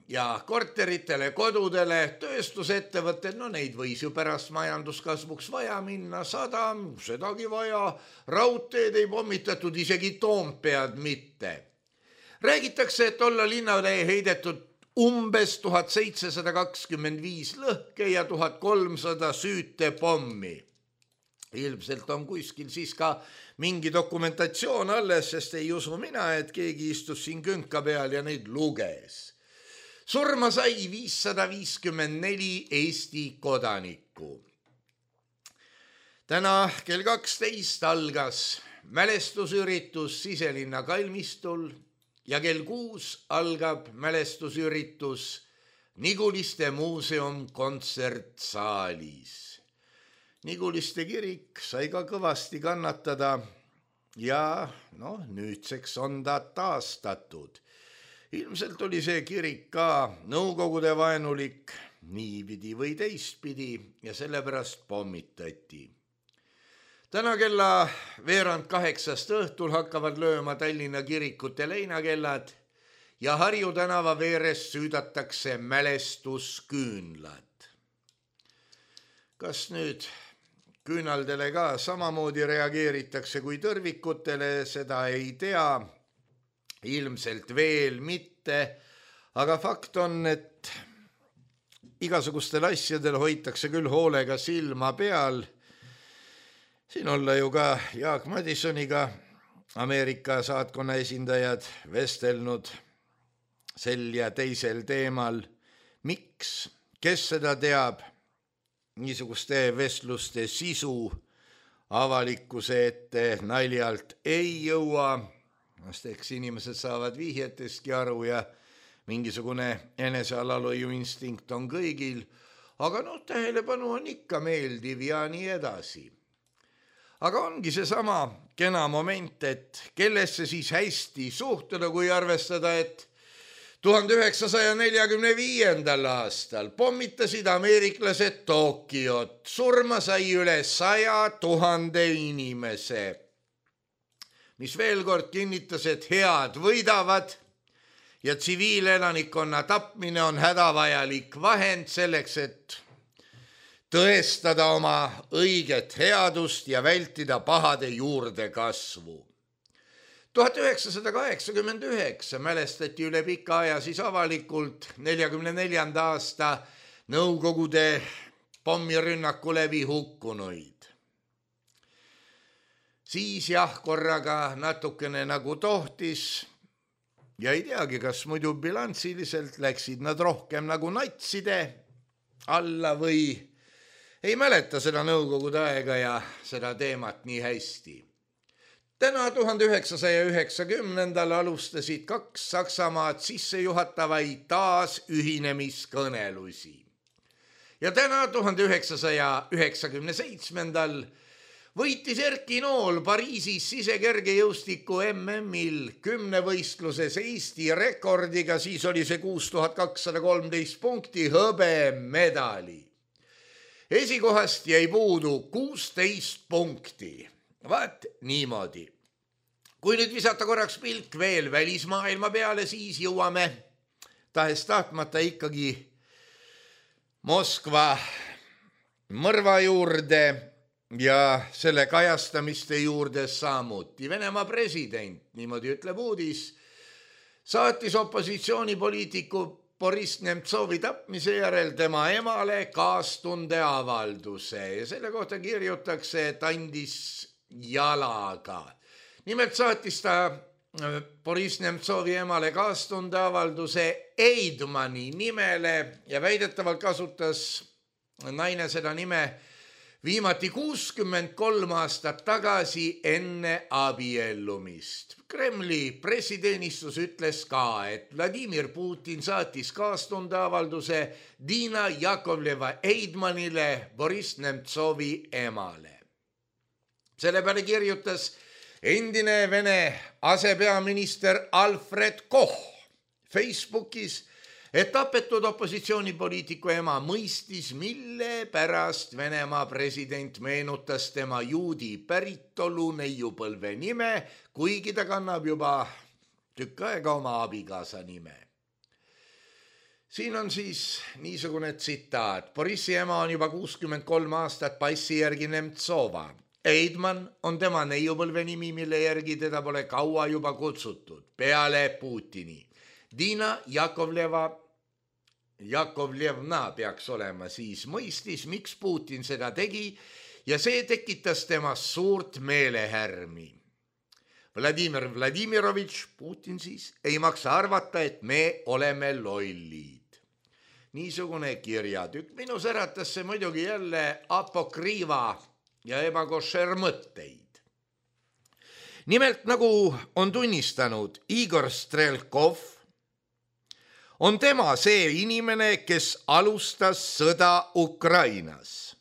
ja korteritele, kodudele, tööstusettevõtted, no neid võis ju pärast majanduskasvuks vaja minna, sadam, sedagi vaja, raudteed ei pommitatud, isegi Toompead mitte. Räägitakse, et olla linnale heidetud umbes tuhat seitsesada kakskümmend viis lõhke ja tuhat kolmsada süütepommi. Ilmselt on kuskil siis ka mingi dokumentatsioon alles, sest ei usu mina, et keegi istus siin künka peal ja neid luges. Surma sai viissada viiskümmend neli Eesti kodanikku. Täna kell kaksteist algas mälestusüritus Siselinna kalmistul ja kell kuus algab mälestusüritus Niguliste muuseum kontsertsaalis. Niguliste kirik sai ka kõvasti kannatada ja noh, nüüdseks on ta taastatud. Ilmselt oli see kirik ka Nõukogude vaenulik niipidi või teistpidi ja sellepärast pommitati. Täna kella veerand kaheksast õhtul hakkavad lööma Tallinna kirikute leinakellad ja Harju tänava veeres süüdatakse mälestusküünlad. Kas nüüd küünaldele ka samamoodi reageeritakse kui tõrvikutele, seda ei tea. Ilmselt veel mitte, aga fakt on, et igasugustel asjadel hoitakse küll hoolega silma peal. Siin olla ju ka Jaak Madisoniga Ameerika saatkonna esindajad vestelnud sel ja teisel teemal. Miks? Kes seda teab? Niisuguste vestluste sisu avalikkuse ette naljalt ei jõua. Eks inimesed saavad vihjetestki aru ja mingisugune enesealalhoiu instinkt on kõigil, aga noh, tähelepanu on ikka meeldiv ja nii edasi. Aga ongi see sama kena moment, et kellesse siis hästi suhtuda, kui arvestada, et tuhande üheksasaja neljakümne viiendal aastal pommitasid ameeriklased Tokyot, surma sai üle saja tuhande inimese, mis veel kord kinnitas, et head võidavad ja tsiviilelanikkonna tapmine on hädavajalik vahend selleks, et tõestada oma õiget headust ja vältida pahade juurde kasvu. tuhat üheksasada kaheksakümmend üheksa mälestati üle pika aja siis avalikult neljakümne neljanda aasta Nõukogude pommirünnaku läbi hukkunuid. Siis jah, korraga natukene nagu tohtis ja ei teagi, kas muidu bilansiliselt läksid nad rohkem nagu natside alla või ei mäleta seda Nõukogude aega ja seda teemat nii hästi. Täna tuhande üheksasaja üheksakümnendal alustasid kaks Saksamaad sissejuhatavaid taas ühinemiskõnelusi. Ja täna tuhande üheksasaja üheksakümne seitsmendal võitis Erki Nool Pariisis sisekergejõustiku M M-il kümnevõistluses Eesti rekordiga, siis oli see kuus tuhat kakssada kolmteist punkti hõbemedali. Esikohast jäi puudu kuusteist punkti. Vaat niimoodi. Kui nüüd visata korraks pilk veel välismaailma peale, siis jõuame tahes tahtmata ikkagi Moskva mõrva juurde ja selle kajastamiste juurde samuti. Venemaa president, niimoodi ütleb uudis, saatis opositsioonipoliitiku Boris Nemtsovi tapmise järel tema emale kaastunde avalduse ja selle kohta kirjutakse, et andis jalaga. Nimelt saatis ta Boris Nemtsovi emale kaastunde avalduse Eidmani nimele ja väidetavalt kasutas naine seda nime viimati kuuskümmend kolm aastat tagasi enne abiellumist. Kremli pressiteenistus ütles ka, et Vladimir Putin saatis kaastundeavalduse Dina Jakovleva Eidmanile, Boris Nemtsovi emale. Selle peale kirjutas endine Vene asepeaminister Alfred Koch Facebookis, et tapetud opositsioonipoliitiku ema mõistis, mille pärast Venemaa president meenutas tema juudi päritolu neiupõlve nime, kuigi ta kannab juba tükk aega oma abikaasa nime. Siin on siis niisugune tsitaat. Borissi ema on juba kuuskümmend kolm aastat passi järgi Nemtsova. Eidman on tema neiupõlve nimi, mille järgi teda pole kaua juba kutsutud, peale Putini. Dina Jakovleva, Jakovlevna peaks olema, siis mõistis, miks Putin seda tegi ja see tekitas temas suurt meelehärmi. Vladimir Vladimirovitš, Putin siis, ei maksa arvata, et me oleme lollid. Niisugune kirjatükk. Minus äratas see muidugi jälle apokriiva ja ebakošer mõtteid. Nimelt, nagu on tunnistanud Igor Strelkov, on tema see inimene, kes alustas sõda Ukrainas.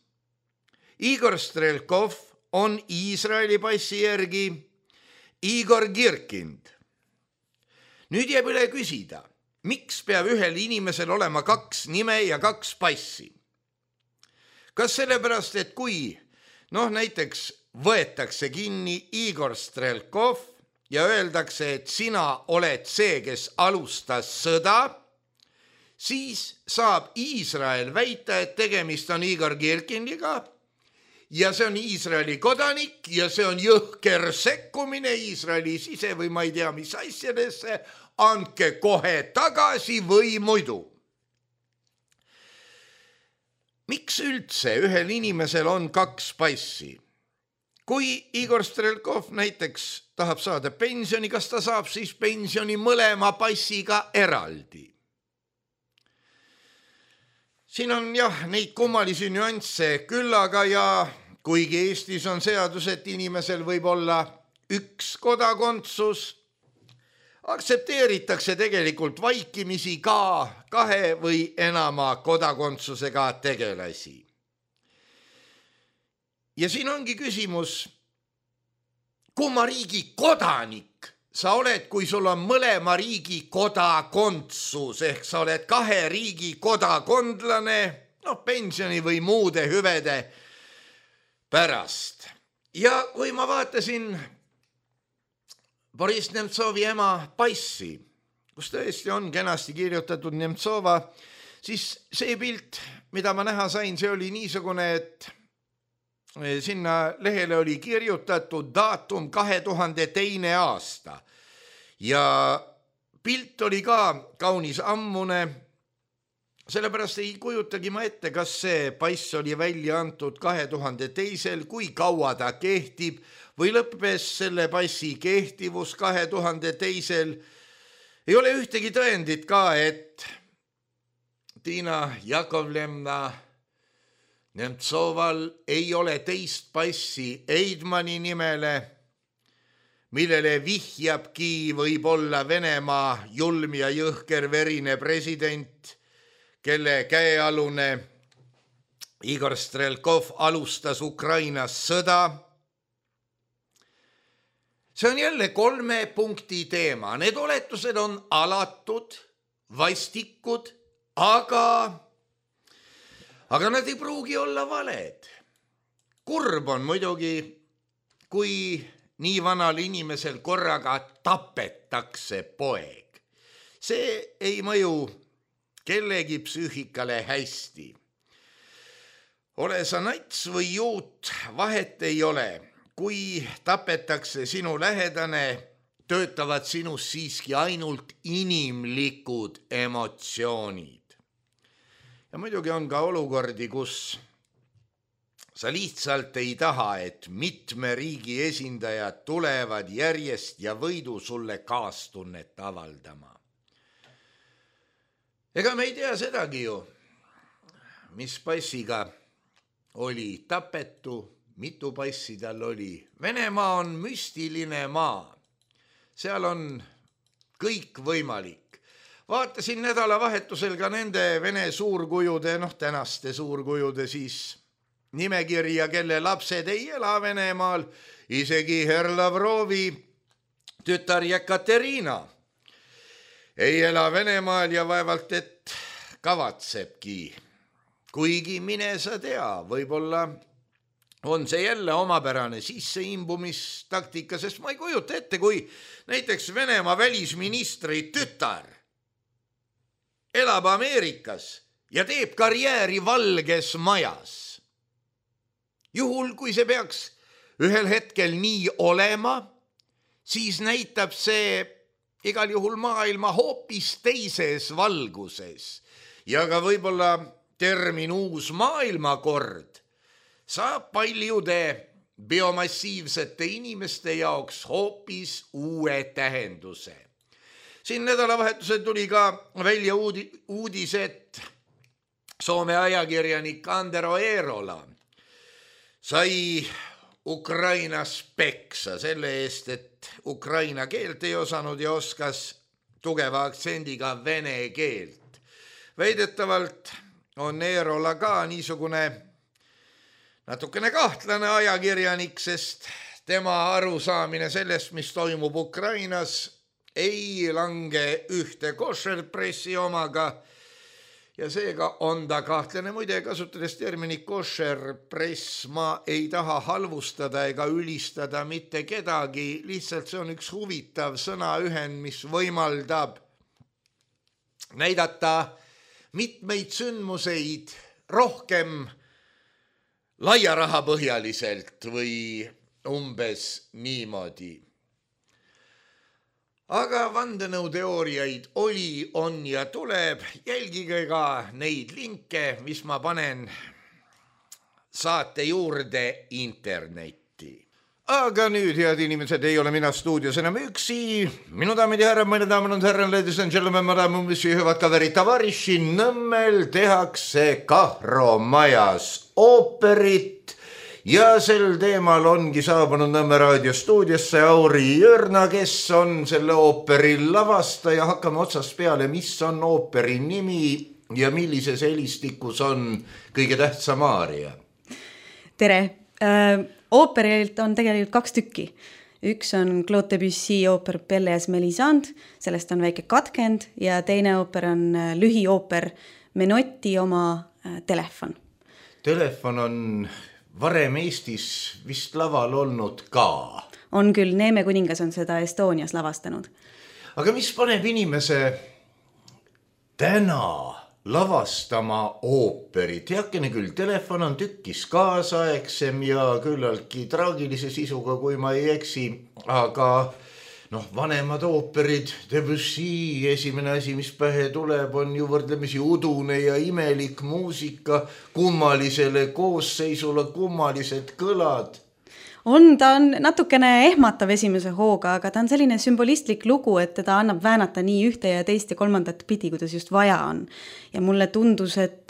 Igor Strelkov on Iisraeli passi järgi Igor Girkind. Nüüd jääb üle küsida, miks peab ühel inimesel olema kaks nime ja kaks passi? Kas sellepärast, et kui, noh näiteks võetakse kinni Igor Strelkov ja öeldakse, et sina oled see, kes alustas sõda, siis saab Iisrael väita, et tegemist on Igor Girkindiga ja see on Iisraeli kodanik ja see on jõhker sekkumine Iisraeli sise või ma ei tea, mis asjadesse, andke kohe tagasi või muidu. miks üldse ühel inimesel on kaks passi? Kui Igor Strelkov näiteks tahab saada pensioni, kas ta saab siis pensioni mõlema passiga eraldi? Siin on jah neid kummalisi nüansse küllaga ja kuigi Eestis on seadus, et inimesel võib olla üks kodakondsus, aktsepteeritakse tegelikult vaikimisi ka kahe või enama kodakondsusega tegelasi. Ja siin ongi küsimus, kumma riigi kodanik sa oled, kui sul on mõlema riigi kodakondsus, ehk sa oled kahe riigi kodakondlane, noh, pensioni või muude hüvede pärast. Ja kui ma vaatasin Boris Nemtsovi ema passi, kus tõesti on kenasti kirjutatud Nemtsova, siis see pilt, mida ma näha sain, see oli niisugune, et sinna lehele oli kirjutatud daatum kahe tuhande teine aasta ja pilt oli ka kaunis ammune, sellepärast ei kujutagi ma ette, kas see pass oli välja antud kahe tuhande teisel, kui kaua ta kehtib või lõppes selle passi kehtivus kahe tuhande teisel. Ei ole ühtegi tõendit ka, et Tiina Jakovlevna Nemtsoval ei ole teist passi Eidmani nimele, millele vihjabki võib-olla Venemaa julm ja jõhker verine president, kelle käealune Igor Strelkov alustas Ukrainas sõda. See on jälle kolme punkti teema. Need oletused on alatud, vastikud, aga... Aga nad ei pruugi olla valed. Kurb on muidugi, kui nii vanal inimesel korraga tapetakse poeg. See ei mõju kellegi psüühikale hästi. Ole sa nats või juut, vahet ei ole. Kui tapetakse sinu lähedane, töötavad sinus siiski ainult inimlikud emotsioonid. Ja muidugi on ka olukordi, kus sa lihtsalt ei taha, et mitme riigi esindajad tulevad järjest ja võidu sulle kaastunnet avaldama. Ega me ei tea sedagi ju, mis passiga oli tapetu, mitu passi tal oli. Venemaa on müstiline maa. Seal on kõik võimalik. Vaatasin nädalavahetusel ka nende Vene suurkujude, noh tänaste suurkujude siis nimekirja, kelle lapsed ei ela Venemaal, isegi Herr Lavrovi tütar Jekaterina ei ela Venemaal ja vaevalt, et kavatsebki. Kuigi mine sa tea, võib-olla on see jälle omapärane sisseimbumistaktika, sest ma ei kujuta ette, kui näiteks Venemaa välisministri tütar elab Ameerikas ja teeb karjääri Valges Majas. Juhul, kui see peaks ühel hetkel nii olema, siis näitab see igal juhul maailma hoopis teises valguses. Ja ka võib-olla termin uus maailmakord saab paljude biomassiivsete inimeste jaoks hoopis uue tähenduse. Siin nädalavahetusel tuli ka välja uudis, et Soome ajakirjanik Antero Eerola sai Ukrainas peksa selle eest, et ukraina keelt ei osanud ja oskas tugeva aktsendiga vene keelt. Väidetavalt on Eerola ka niisugune natukene kahtlane ajakirjanik, sest tema arusaamine sellest, mis toimub Ukrainas, ei lange ühte košerpressi omaga ja seega on ta kahtlane. Muide, kasutades terminit košerpress, ma ei taha halvustada ega ülistada mitte kedagi, lihtsalt see on üks huvitav sõnaühend, mis võimaldab näidata mitmeid sündmuseid rohkem laiarahapõhjaliselt või umbes niimoodi. Aga vandenõuteooriaid oli, on ja tuleb. Jälgige ka neid linke, mis ma panen saate juurde internetti. Aga nüüd, head inimesed, ei ole mina stuudios enam üksi. Minu daamid ja härrad, meine daamid ja härrad, ladies and gentlemen, madame, monsieur, hüvad kaveri tavariši, Nõmmel tehakse Kahro majas ooperit. Ja sel teemal ongi saabunud Nõmme raadio stuudiosse Auri Jörna, kes on selle ooperi lavastaja. Hakkame otsast peale, mis on ooperi nimi ja millises helistikus on kõige tähtsam aaria. Tere! Äh, ooperilt on tegelikult kaks tükki. Üks on Claude Debussy ooper Pelléas Mélisande, sellest on väike katkend, ja teine ooper on lühiooper Menotti oma äh, telefon. Telefon on varem Eestis vist laval olnud ka. On küll, Neeme kuningas on seda Estonias lavastanud. Aga mis paneb inimese täna lavastama ooperit? Heakene küll, telefon on tükkis kaasaegsem ja küllaltki traagilise sisuga, kui ma ei eksi, aga noh, vanemad ooperid, Debussy, esimene asi, mis pähe tuleb, on ju võrdlemisi udune ja imelik muusika, kummalisele koosseisule, kummalised kõlad. On, ta on natukene ehmatav esimese hooga, aga ta on selline sümbolistlik lugu, et teda annab väänata nii ühte ja teist ja kolmandat pidi, kuidas just vaja on. Ja mulle tundus, et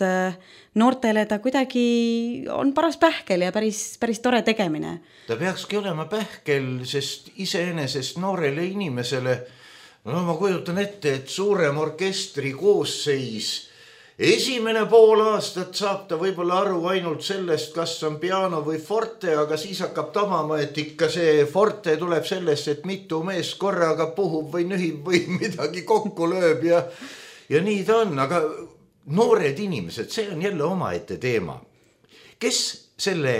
noortele ta kuidagi on paras pähkel ja päris, päris tore tegemine. Ta peakski olema pähkel, sest iseenesest noorele inimesele, no ma kujutan ette, et suurem orkestri koosseis, esimene pool aastat saab ta võib-olla aru ainult sellest, kas on piano või forte, aga siis hakkab tamama, et ikka see forte tuleb sellest, et mitu mees korraga puhub või nühib või midagi kokku lööb ja, ja nii ta on, aga noored inimesed, see on jälle omaette teema. Kes selle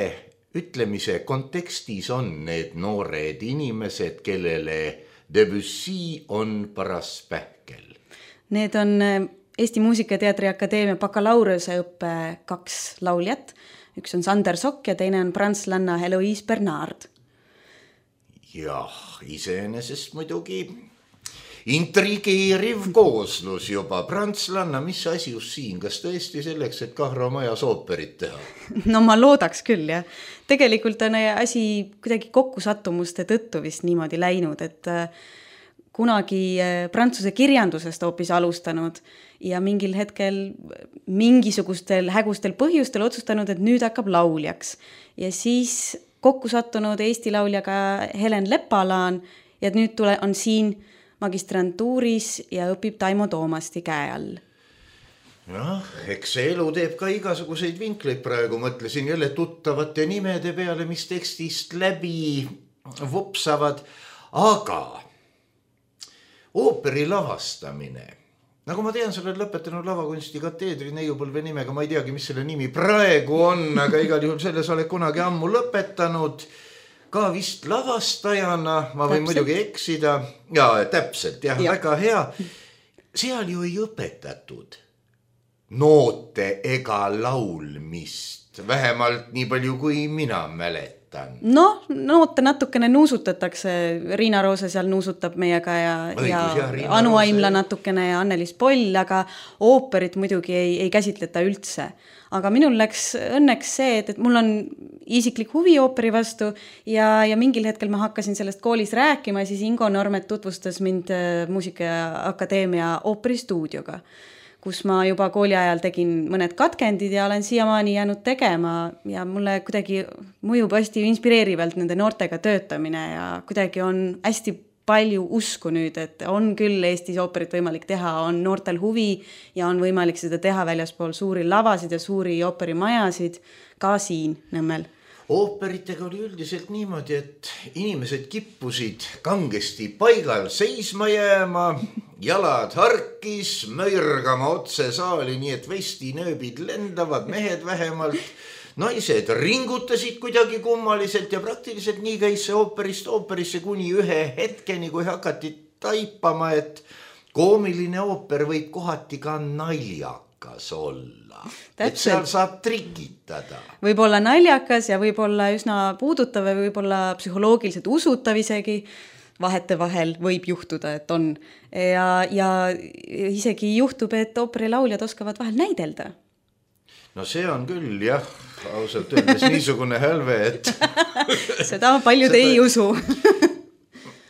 ütlemise kontekstis on need noored inimesed, kellele Debussy on paras pähkel? Need on Eesti Muusikateatri Akadeemia bakalaureuse õppe kaks lauljat. Üks on Sander Sokk ja teine on prantslanna Heloise Bernard. Jah, iseenesest muidugi intrigeeriv kooslus juba. Prantslanna, mis asi just siin? Kas tõesti selleks, et Kahro majas ooperit teha? No ma loodaks küll, jah. Tegelikult on asi kuidagi kokkusattumuste tõttu vist niimoodi läinud, et kunagi prantsuse kirjandusest hoopis alustanud ja mingil hetkel mingisugustel hägustel põhjustel otsustanud, et nüüd hakkab lauljaks. Ja siis kokku sattunud Eesti lauljaga Helen Lepalaan ja nüüd tule, on siin magistrantuuris ja õpib Taimo Toomasti käe all. Jah, eks see elu teeb ka igasuguseid vinkleid praegu. Mõtlesin jälle tuttavate nimede peale, mis tekstist läbi vupsavad, aga ooperi lavastamine. Nagu ma tean, sa oled lõpetanud lavakunsti kateedri neiupõlve nimega, ma ei teagi, mis selle nimi praegu on, aga igal juhul selles oled kunagi ammu lõpetanud. Ka vist lavastajana, ma võin täpselt muidugi eksida. Jaa, täpselt, jah, ja. Väga hea. Seal ju ei õpetatud noote ega laulmist, vähemalt nii palju, kui mina mäletan. No, noote natukene nuusutatakse, Riina Roose seal nuusutab meiega ja, Õigus, ja, ja Anu Aimla natukene ja Annelis Poll, aga ooperit muidugi ei, ei käsitleta üldse. Aga minul läks õnneks see, et, et mul on isiklik huvi ooperi vastu ja, ja mingil hetkel ma hakkasin sellest koolis rääkima, siis Ingo Normet tutvustas mind Muusikaakadeemia ooperistuudioga, kus ma juba kooli ajal tegin mõned katkendid ja olen siiamaani jäänud tegema ja mulle kuidagi mõjub hästi inspireerivalt nende noortega töötamine ja kuidagi on hästi palju usku nüüd, et on küll Eestis ooperit võimalik teha, on noortel huvi ja on võimalik seda teha väljaspool suuri lavasid ja suuri ooperimajasid ka siin Nõmmel. Ooperitega oli üldiselt niimoodi, et inimesed kippusid kangesti paigal seisma jääma, jalad harkis, möirgama otse saali, nii et vestinööbid lendavad, mehed vähemalt, naised ringutasid kuidagi kummaliselt ja praktiliselt nii käis see ooperist ooperisse kuni ühe hetkeni, kui hakati taipama, et koomiline ooper võib kohati ka naljakas olla. Täpselt. Et seal saab trikitada. Võib olla naljakas ja võib olla üsna puudutav ja võib olla psühholoogiliselt usutav isegi. Vahete vahel võib juhtuda, et on. Ja, ja isegi juhtub, et ooperilauljad oskavad vahel näidelda. no see on küll jah, ausalt öeldes niisugune hälve, et seda paljud seda... ei usu.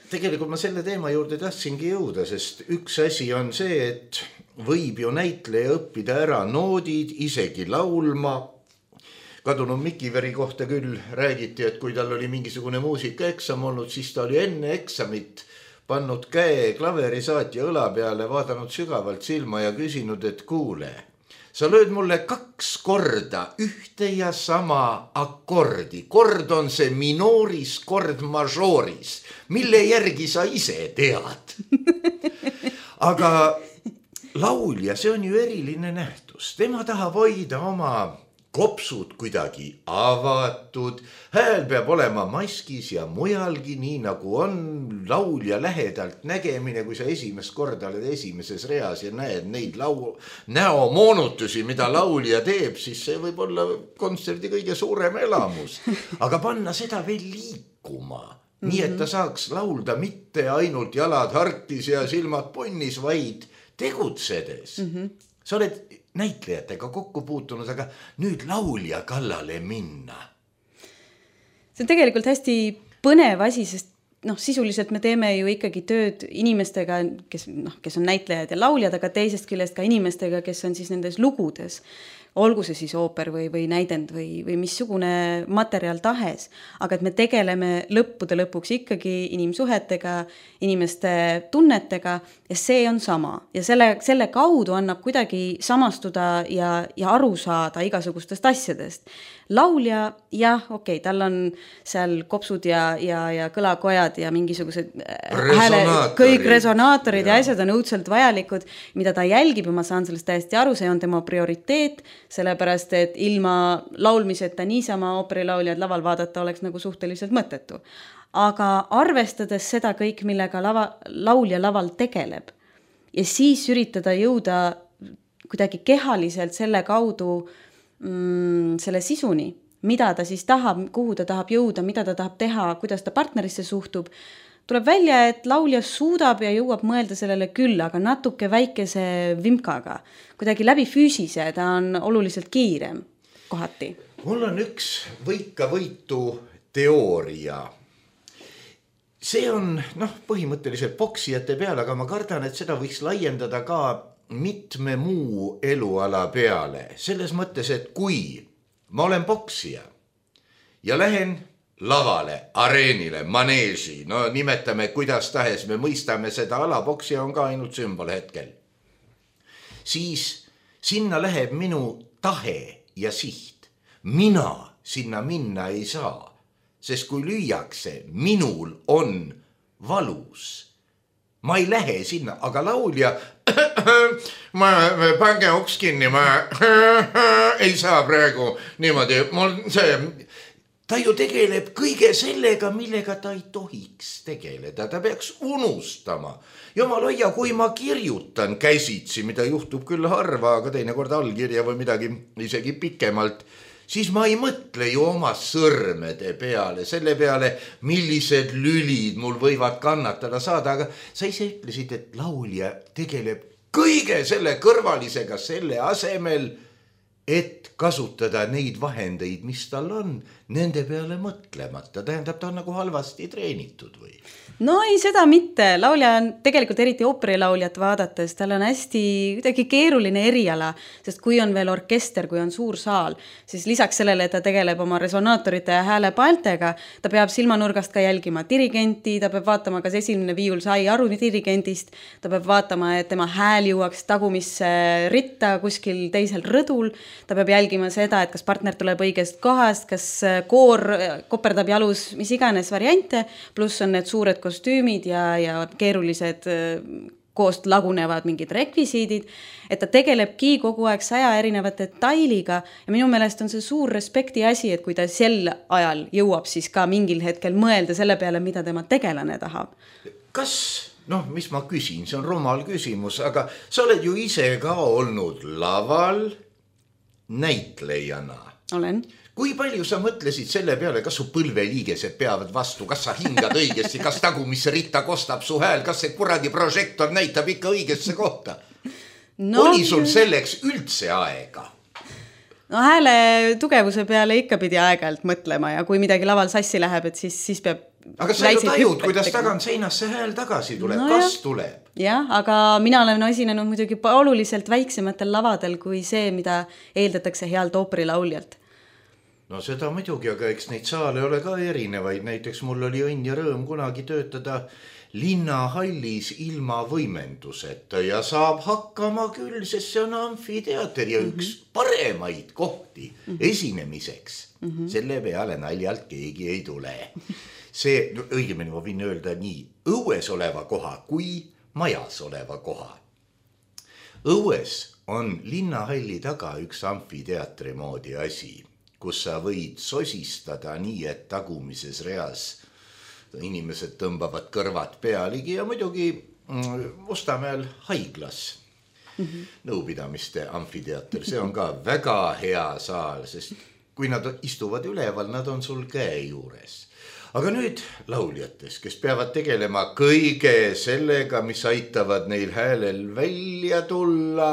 Tegelikult ma selle teema juurde tahtsingi jõuda, sest üks asi on see, et võib ju näitleja õppida ära noodid, isegi laulma. Kadunud Mikiveri kohta küll räägiti, et kui tal oli mingisugune muusikaeksam olnud, siis ta oli enne eksamit pannud käe klaverisaatja õla peale, vaadanud sügavalt silma ja küsinud, et kuule, sa lööd mulle kaks korda ühte ja sama akordi. Kord on see minooris, kord majooris, mille järgi sa ise tead. Aga laulja, see on ju eriline nähtus. Tema tahab hoida oma kopsud kuidagi avatud, hääl peab olema maskis ja mujalgi, nii nagu on laulja lähedalt nägemine, kui sa esimest korda oled esimeses reas ja näed neid lau- näomoonutusi, mida laulja teeb, siis see võib olla kontserdi kõige suurem elamus. Aga panna seda veel liikuma, mm-hmm. nii et ta saaks laulda mitte ainult jalad harkis ja silmad punnis, vaid tegutsedes. Mm-hmm. Sa oled näitlejatega kokku puutunud, aga nüüd laulja kallale minna. See on tegelikult hästi põnev asi, sest noh, sisuliselt me teeme ju ikkagi tööd inimestega, kes, noh, kes on näitlejad ja lauljad, aga teisest küljest ka inimestega, kes on siis nendes lugudes. Olgu see siis ooper või, või näidend või, või missugune materjal tahes, aga et me tegeleme lõppude lõpuks ikkagi inimsuhetega, inimeste tunnetega ja see on sama. Ja selle, selle kaudu annab kuidagi samastuda ja, ja aru saada igasugustest asjadest. Laulja, jah, okei, okay, tal on seal kopsud ja, ja, ja kõlakojad ja mingisugused hääle, kõik resonaatorid ja. ja asjad on õudselt vajalikud, mida ta jälgib ja ma saan sellest täiesti aru, see on tema prioriteet, sellepärast, et ilma laulmiseta niisama ooperilauljad laval vaadata oleks nagu suhteliselt mõttetu. Aga arvestades seda kõik, millega lava, laulja laval tegeleb ja siis üritada jõuda kuidagi kehaliselt selle kaudu mm, selle sisuni, mida ta siis tahab, kuhu ta tahab jõuda, mida ta tahab teha, kuidas ta partnerisse suhtub, tuleb välja, et laulja suudab ja jõuab mõelda sellele küll, aga natuke väikese vimkaga. Kuidagi läbi füüsise, ta on oluliselt kiirem kohati. Mul on üks võika võitu teooria. See on noh, põhimõtteliselt poksijate peale, aga ma kardan, et seda võiks laiendada ka mitme muu eluala peale. Selles mõttes, et kui ma olen poksija ja lähen lavale, areenile, maneesi, no nimetame kuidas tahes, me mõistame seda ala, poksija on ka ainult sümbol hetkel. Siis sinna läheb minu tahe ja siht. Mina sinna minna ei saa, sest kui lüüakse, minul on valus. Ma ei lähe sinna, aga laulja, ma pange uks kinni, ma ei saa praegu niimoodi, mul see... Ta ju tegeleb kõige sellega, millega ta ei tohiks tegeleda. Ta peaks unustama. Jumal hoia, kui ma kirjutan käsitsi, mida juhtub küll harva, aga teinekord allkirja või midagi isegi pikemalt, siis ma ei mõtle ju oma sõrmede peale, selle peale, millised lülid mul võivad kannatada saada, aga sa ise ütlesid, et laulja tegeleb kõige selle kõrvalisega selle asemel, et kasutada neid vahendeid, mis tal on, nende peale mõtlemata. Tähendab, ta on nagu halvasti treenitud või? No ei, seda mitte. Laulja on tegelikult eriti ooperilauljat vaadates, tal on hästi kuidagi keeruline eriala, sest kui on veel orkester, kui on suur saal, siis lisaks sellele, et ta tegeleb oma resonaatorite ja häälepaltega, ta peab silmanurgast ka jälgima dirigenti, ta peab vaatama, kas esimene viiul sai aru dirigentist, ta peab vaatama, et tema hääl jõuaks tagumisse ritta kuskil teisel rõdul, ta peab jälgima seda, et kas partner tuleb õigest kohast, kas koor koperdab jalus, mis iganes variante, pluss on need suured kostüümid ja, ja keerulised koost lagunevad mingid rekvisiidid, et ta tegelebki kogu aeg saja erineva detailiga ja minu meelest on see suur respekti asi, et kui ta sel ajal jõuab siis ka mingil hetkel mõelda selle peale, mida tema tegelane tahab. Kas, noh, mis ma küsin, see on rumal küsimus, aga sa oled ju ise ka olnud laval näitlejana. Olen. Kui palju sa mõtlesid selle peale, kas su põlveliigesed peavad vastu, kas sa hingad õigesti, kas tagumisse ritta kostab su hääl, kas see kuradi prožektor näitab ikka õigesse kohta? No, oli sul selleks üldse aega? no hääle tugevuse peale ikka pidi aeg-ajalt mõtlema ja kui midagi laval sassi läheb, et siis, siis peab aga sa ju tajud, kuidas tagant seinast see hääl tagasi tuleb, no kas jah. tuleb? Jah, aga mina olen esinenud muidugi oluliselt väiksematel lavadel kui see, mida eeldatakse healt ooperilauljalt. No seda muidugi, aga eks neid saale ole ka erinevaid. Näiteks mul oli õnn ja rõõm kunagi töötada linnahallis ilma võimenduseta ja saab hakkama küll, sest see on amfiteater ja üks mm-hmm. paremaid kohti mm-hmm. esinemiseks. Mm-hmm. Selle peale naljalt keegi ei tule. See, no, õigemini ma võin öelda nii, õues oleva koha kui majas oleva koha. Õues on linnahalli taga üks amfiteatri moodi asi, kus sa võid sosistada nii, et tagumises reas inimesed tõmbavad kõrvad pealigi ja muidugi Mustamäel haiglas mm-hmm. nõupidamiste amfiteater. See on ka väga hea saal, sest kui nad istuvad üleval, nad on sul käe juures. Aga nüüd lauljates, kes peavad tegelema kõige sellega, mis aitavad neil häälel välja tulla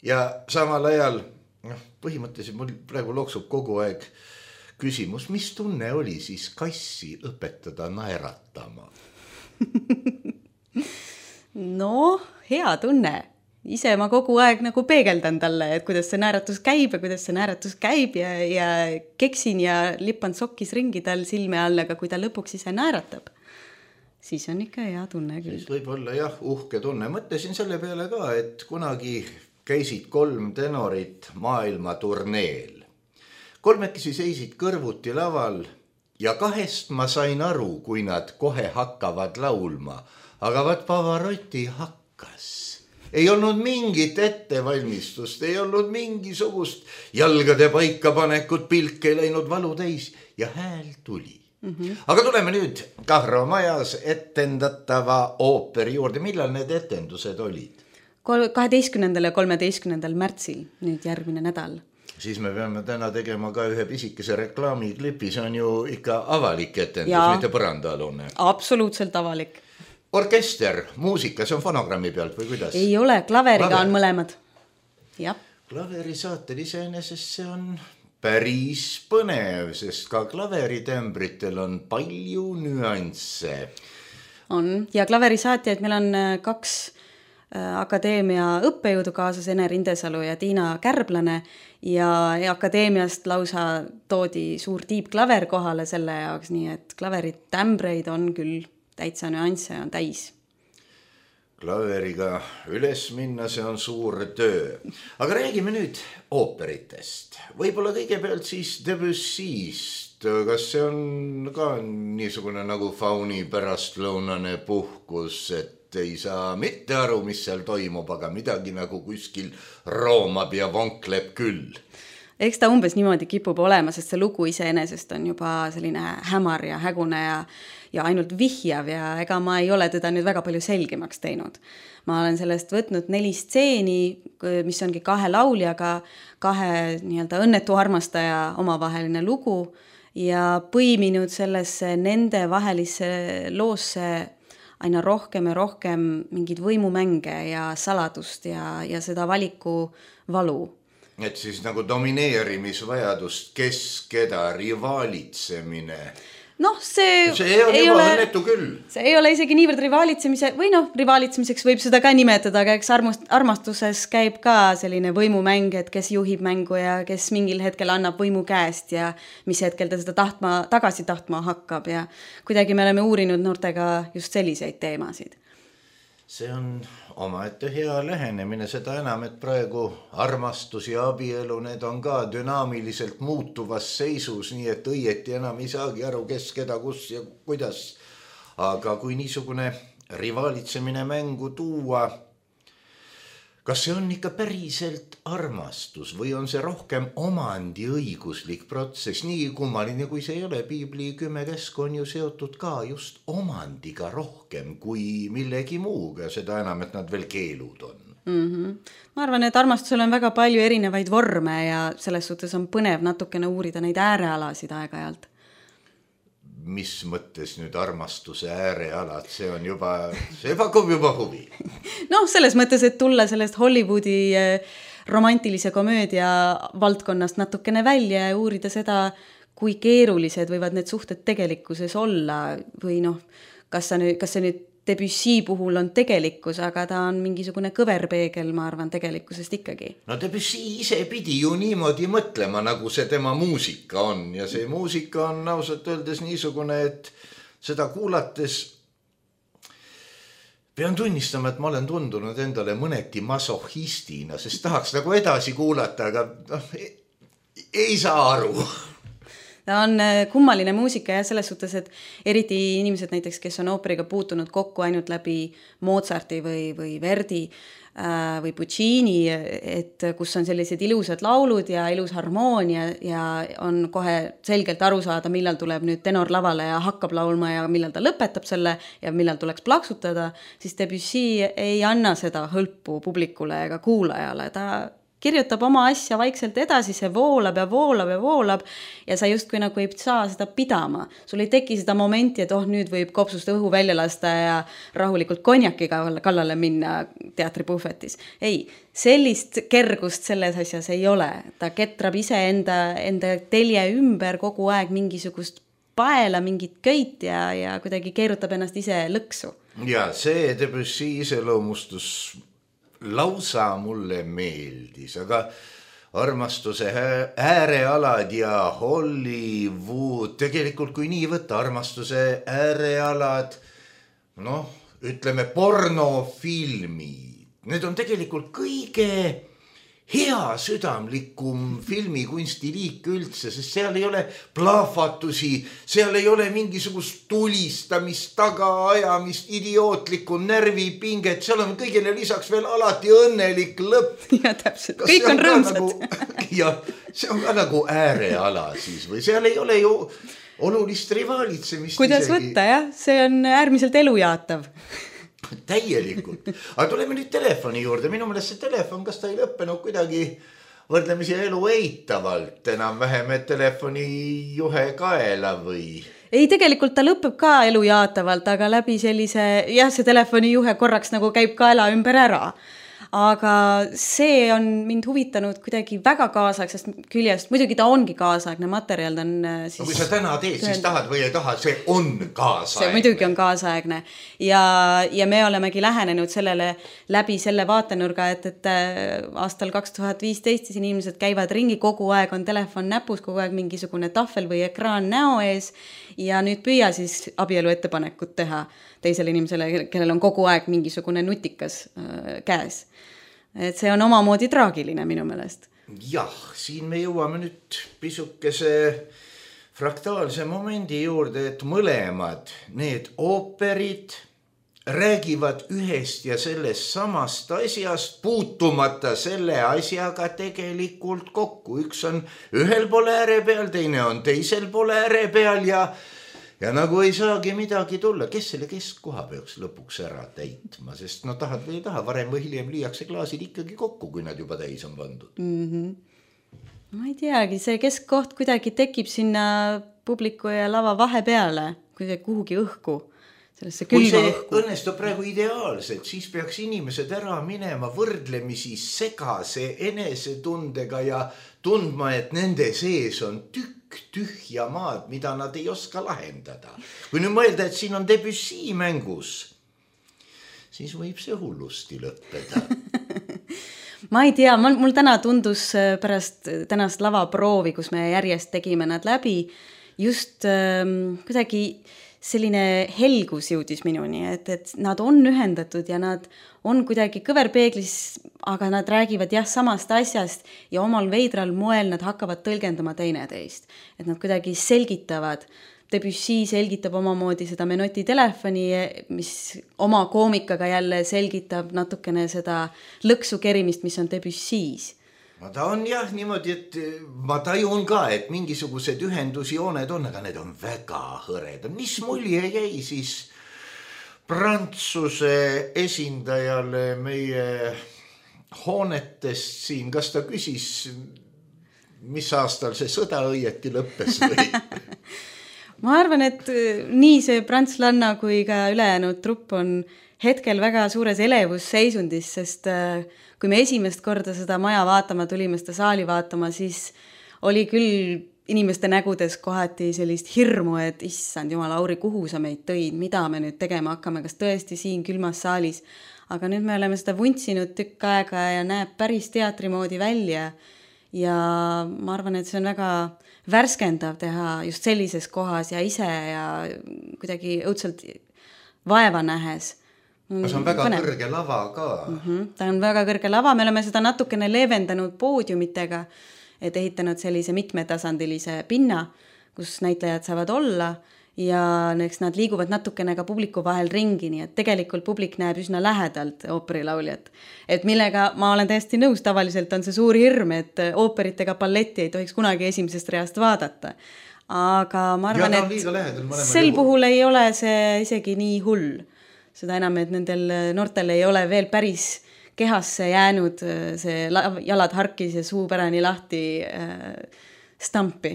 ja samal ajal noh, põhimõtteliselt mul praegu loksub kogu aeg küsimus, mis tunne oli siis kassi õpetada naeratama? No, hea tunne. Ise ma kogu aeg nagu peegeldan talle, et kuidas see naeratus käib ja kuidas see naeratus käib ja, ja keksin ja lippan sokkis ringi tal silme all, aga kui ta lõpuks ise naeratab, siis on ikka hea tunne küll. Siis võib olla jah, uhke tunne. Mõtlesin selle peale ka, et kunagi käisid kolm tenorit maailma turneel. Kolmekesi seisid kõrvuti laval ja kahest ma sain aru, kui nad kohe hakkavad laulma, aga vaat Pavarotti hakkas. Ei olnud mingit ettevalmistust, ei olnud mingisugust jalgade paikapanekut, pilk ei läinud valu täis ja hääl tuli. Mm-hmm. Aga tuleme nüüd Kahro majas etendatava ooperi juurde. Millal need etendused olid? kaheteistkümnendal ja kolmeteistkümnendal märtsil, nüüd järgmine nädal. Siis me peame täna tegema ka ühe pisikese reklaamiklipi, see on ju ikka avalik etendus, ja, mitte põrandaalune. Absoluutselt avalik. Orkester, muusika, see on fonogrammi pealt või kuidas? Ei ole, klaveriga Klaver. On mõlemad. Ja. Klaveri saatel iseenesest see on päris põnev, sest ka klaveritembritel on palju nüansse. On, ja klaverisaatjaid meil on kaks akadeemia õppejõudu kaasas, Ene Rindesalu ja Tiina Kärblane ja akadeemiast lausa toodi suur tiibklaver kohale selle jaoks, nii et klaverid tämbreid on küll täitsa nüansse on täis. Klaveriga üles minna, see on suur töö. Aga räägime nüüd ooperitest. Võib-olla kõigepealt siis Debussy'st. Kas see on ka niisugune nagu fauni pärastlõunane puhkus, et ei saa mitte aru, mis seal toimub, aga midagi nagu kuskil roomab ja vonkleb küll. Eks ta umbes niimoodi kipub olema, sest see lugu iseenesest on juba selline hämar ja hägune ja, ja ainult vihjav ja ega ma ei ole teda nüüd väga palju selgemaks teinud. Ma olen sellest võtnud neli stseeni, mis ongi kahe lauljaga, kahe nii-öelda õnnetu armastaja omavaheline lugu ja põiminud sellesse nende vahelisse loosse aina rohkem ja rohkem mingid võimumänge ja saladust ja, ja seda valiku valu. Et siis nagu domineerimisvajadust, kes keda, rivaalitsemine. Noh, see, see on ei juba õnnetu küll. See ei ole isegi niivõrd rivaalitsemise, või noh, rivaalitsemiseks võib seda ka nimetada, aga eks armastuses käib ka selline võimumäng, et kes juhib mängu ja kes mingil hetkel annab võimu käest ja mis hetkel ta seda tahtma, tagasi tahtma hakkab ja kuidagi me oleme uurinud noortega just selliseid teemasid. See on omaette hea lähenemine, seda enam, et praegu armastus ja abielu, need on ka dünaamiliselt muutuvas seisus, nii et õieti enam ei saagi aru, kes, keda, kus ja kuidas. Aga kui niisugune rivaalitsemine mängu tuua, kas see on ikka päriselt armastus või on see rohkem omandi õiguslik protsess? Nii kummaline, kui see ei ole, Piibli kümme käsku on ju seotud ka just omandiga rohkem kui millegi muuga, seda enam, et nad veel keelud on. Mm-hmm. Ma arvan, et armastusel on väga palju erinevaid vorme ja selles suhtes on põnev natukene uurida neid äärealasid aeg-ajalt. Mis mõttes nüüd armastuse äärealad, see on juba, see pakub juba huvi. Noh, selles mõttes, et tulla sellest Hollywoodi romantilise komöödia valdkonnast natukene välja ja uurida seda, kui keerulised võivad need suhted tegelikkuses olla või noh, kas, nüüd, kas see nüüd Debussy puhul on tegelikkus, aga ta on mingisugune kõverpeegel, ma arvan, tegelikkusest ikkagi. No Debussy ise pidi ju niimoodi mõtlema, nagu see tema muusika on ja see muusika on ausalt öeldes niisugune, et seda kuulates pean tunnistama, et ma olen tundunud endale mõneti masohistina, sest tahaks nagu edasi kuulata, aga noh, ei saa aru. Ta on kummaline muusika ja selles suhtes, et eriti inimesed näiteks, kes on ooperiga puutunud kokku ainult läbi Mozarti või, või Verdi äh, või Puccini, et kus on sellised ilusad laulud ja ilus harmoonia ja on kohe selgelt aru saada, millal tuleb nüüd tenor lavale ja hakkab laulma ja millal ta lõpetab selle ja millal tuleks plaksutada, siis Debussy ei anna seda hõlpu publikule ega kuulajale. Ta kirjutab oma asja vaikselt edasi, see voolab ja voolab ja voolab ja sa justkui nagu ei saa seda pidama. Sul ei teki seda momenti, et oh, nüüd võib kopsust õhu välja lasta ja rahulikult konjakiga kallale minna teatripuhvetis. Ei, sellist kergust selles asjas ei ole. Ta ketrab ise enda, enda telje ümber kogu aeg mingisugust paela, mingit köit ja, ja kuidagi keerutab ennast ise lõksu. Ja see Debussy iseloomustus lausa mulle meeldis, aga armastuse äärealad ja Hollywood, tegelikult kui nii võtta, armastuse äärealad, noh, ütleme pornofilmid, need on tegelikult kõige hea südamlikum filmikunstiliik üldse, sest seal ei ole plahvatusi, seal ei ole mingisugust tulistamist, tagaajamist, idiootlikku närvipinget, seal on kõigile lisaks veel alati õnnelik lõpp. Ja täpselt, kõik on rõõmsad. Nagu, ja see on ka nagu ääreala siis või seal ei ole ju olulist rivaalitsemist. Kuidas isegi võtta, jah, see on äärmiselt elujaatav. Täielikult. Aga tuleme nüüd telefoni juurde. Minu meelest see telefon, kas ta ei lõppenud kuidagi võrdlemisi elu eitavalt enam vähem, et telefoni juhe kaela või? Ei, tegelikult ta lõpeb ka elu jaatavalt, aga läbi sellise, jah, see telefoni juhe korraks nagu käib kaela ümber ära. Aga see on mind huvitanud kuidagi väga kaasaegsest küljest. Muidugi ta ongi kaasaegne materjal. Ta on siis... No, kui sa täna teed, siis tahad või ei taha, see on kaasaegne. See muidugi on kaasaegne. Ja, ja me olemegi lähenenud sellele läbi selle vaatenurga, et, et aastal kaks tuhat viisteist siis inimesed käivad ringi, kogu aeg on telefon näpus, kogu aeg mingisugune tahvel või ekraan näo ees ja nüüd püüa siis abielu ettepanekut teha teisele inimesele, kellel on kogu aeg mingisugune nutikas äh, käes. Et see on omamoodi traagiline minu meelest. Jah, siin me jõuame nüüd pisukese fraktaalse momendi juurde, et mõlemad need ooperid räägivad ühest ja sellest samast asjast, puutumata selle asjaga tegelikult kokku. Üks on ühel pool ääre peal, teine on teisel pool ääre peal ja Ja nagu ei saagi midagi tulla, kes selle keskkoha peaks lõpuks ära täitma, sest no tahad või ei taha, varem või hiljem lüüakse klaasid ikkagi kokku, kui nad juba täis on pandud. Mm-hmm. Ma ei teagi, see keskkoht kuidagi tekib sinna publiku ja lava vahepeale, kui see kuhugi õhku. Kui see õhku õnnestub praegu ideaalselt, siis peaks inimesed ära minema võrdlemisi segase enesetundega ja tundma, et nende sees on tükk tühja maad, mida nad ei oska lahendada. Kui nüüd mõelda, et siin on Debussy mängus, siis võib see hullusti lõppeda. Ma ei tea, mul täna tundus pärast tänast lavaproovi, kus me järjest tegime nad läbi, just ähm, kuidagi selline helgus jõudis minuni, et, et nad on ühendatud ja nad on kuidagi kõverpeeglis, aga nad räägivad jah samast asjast ja omal veidral moel nad hakkavad tõlgendama teineteist. Et nad kuidagi selgitavad. Debussy selgitab omamoodi seda Menotti telefoni, mis oma koomikaga jälle selgitab natukene seda lõksu kerimist, mis on Debussys. No ta on jah niimoodi, et ma tajun ka, et mingisugused ühendusjooned on, aga need on väga hõredad. Mis mulje jäi siis Prantsuse esindajale meie hoonetest siin? Kas ta küsis, mis aastal see sõda õieti lõppes või? ma arvan, et nii see prantslanna kui ka ülejäänud trupp on hetkel väga suures elevusseisundis, sest kui me esimest korda seda maja vaatama tulime, seda saali vaatama, siis oli küll inimeste nägudes kohati sellist hirmu, et issand jumal, Lauri, kuhu sa meid tõid, mida me nüüd tegema hakkame, kas tõesti siin külmas saalis. Aga nüüd me oleme seda vuntsinud tükk aega ja näeb päris teatri moodi välja. Ja ma arvan, et see on väga värskendav teha just sellises kohas ja ise ja kuidagi õudselt vaeva nähes. See on väga Põne. kõrge lava ka. Mm-hmm. Ta on väga kõrge lava, me oleme seda natukene leevendanud poodiumitega, et ehitanud sellise mitmetasandilise pinna, kus näitlejad saavad olla ja eks nad liiguvad natukene ka publiku vahel ringi, nii et tegelikult publik näeb üsna lähedalt ooperilauljat. Et millega ma olen täiesti nõus, tavaliselt on see suur hirm, et ooperit ega balletti ei tohiks kunagi esimesest reast vaadata. Aga ma arvan, ja, et lähedal, sel puhul ei ole see isegi nii hull. Seda enam, et nendel noortel ei ole veel päris kehasse jäänud see jalad harkis ja suu pärani lahti äh, stampi.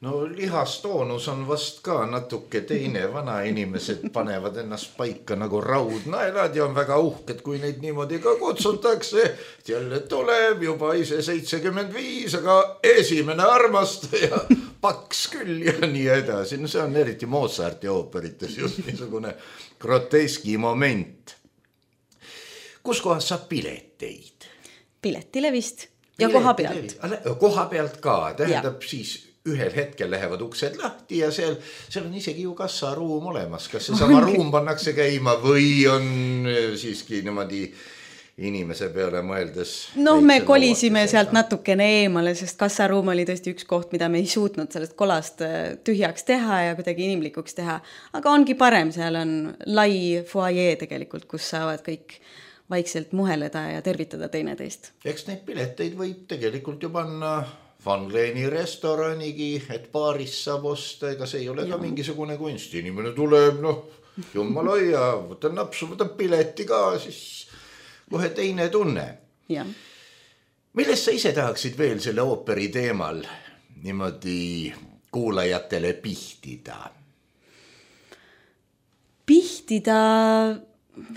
No lihastoonus on vast ka natuke teine, vana inimesed panevad ennast paika nagu raudnaelad ja on väga uhked, kui neid niimoodi ka kutsutakse. Jälle tuleb juba ise seitsekümmend viis, aga esimene armastaja paks küll ja nii edasi. No see on eriti Mozarti ooperites just niisugune groteski moment. Kus kohas saab pileteid? Piletile vist ja koha pealt. Koha pealt ka, tähendab ja. Siis ühel hetkel lähevad uksed lahti ja seal, seal on isegi ju kassaruum olemas. Kas see sama ruum pannakse käima või on siiski niimoodi inimese peale mõeldes? No me kolisime sealt natukene eemale, sest kassaruum oli tõesti üks koht, mida me ei suutnud sellest kolast tühjaks teha ja kuidagi inimlikuks teha. Aga ongi parem, seal on lai foyer tegelikult, kus saavad kõik vaikselt muheleda ja tervitada teineteist. Eks neid pileteid võib tegelikult ju panna Van Gleeni restoranigi, et paaris saab osta, ega see ei ole ja. Ka mingisugune kunst. Inimene tuleb, noh, jummala ja võtan napsu, võtan pileti ka, siis kohe teine tunne. Ja. Millest sa ise tahaksid veel selle ooperi teemal niimoodi kuulajatele pihtida? Pihtida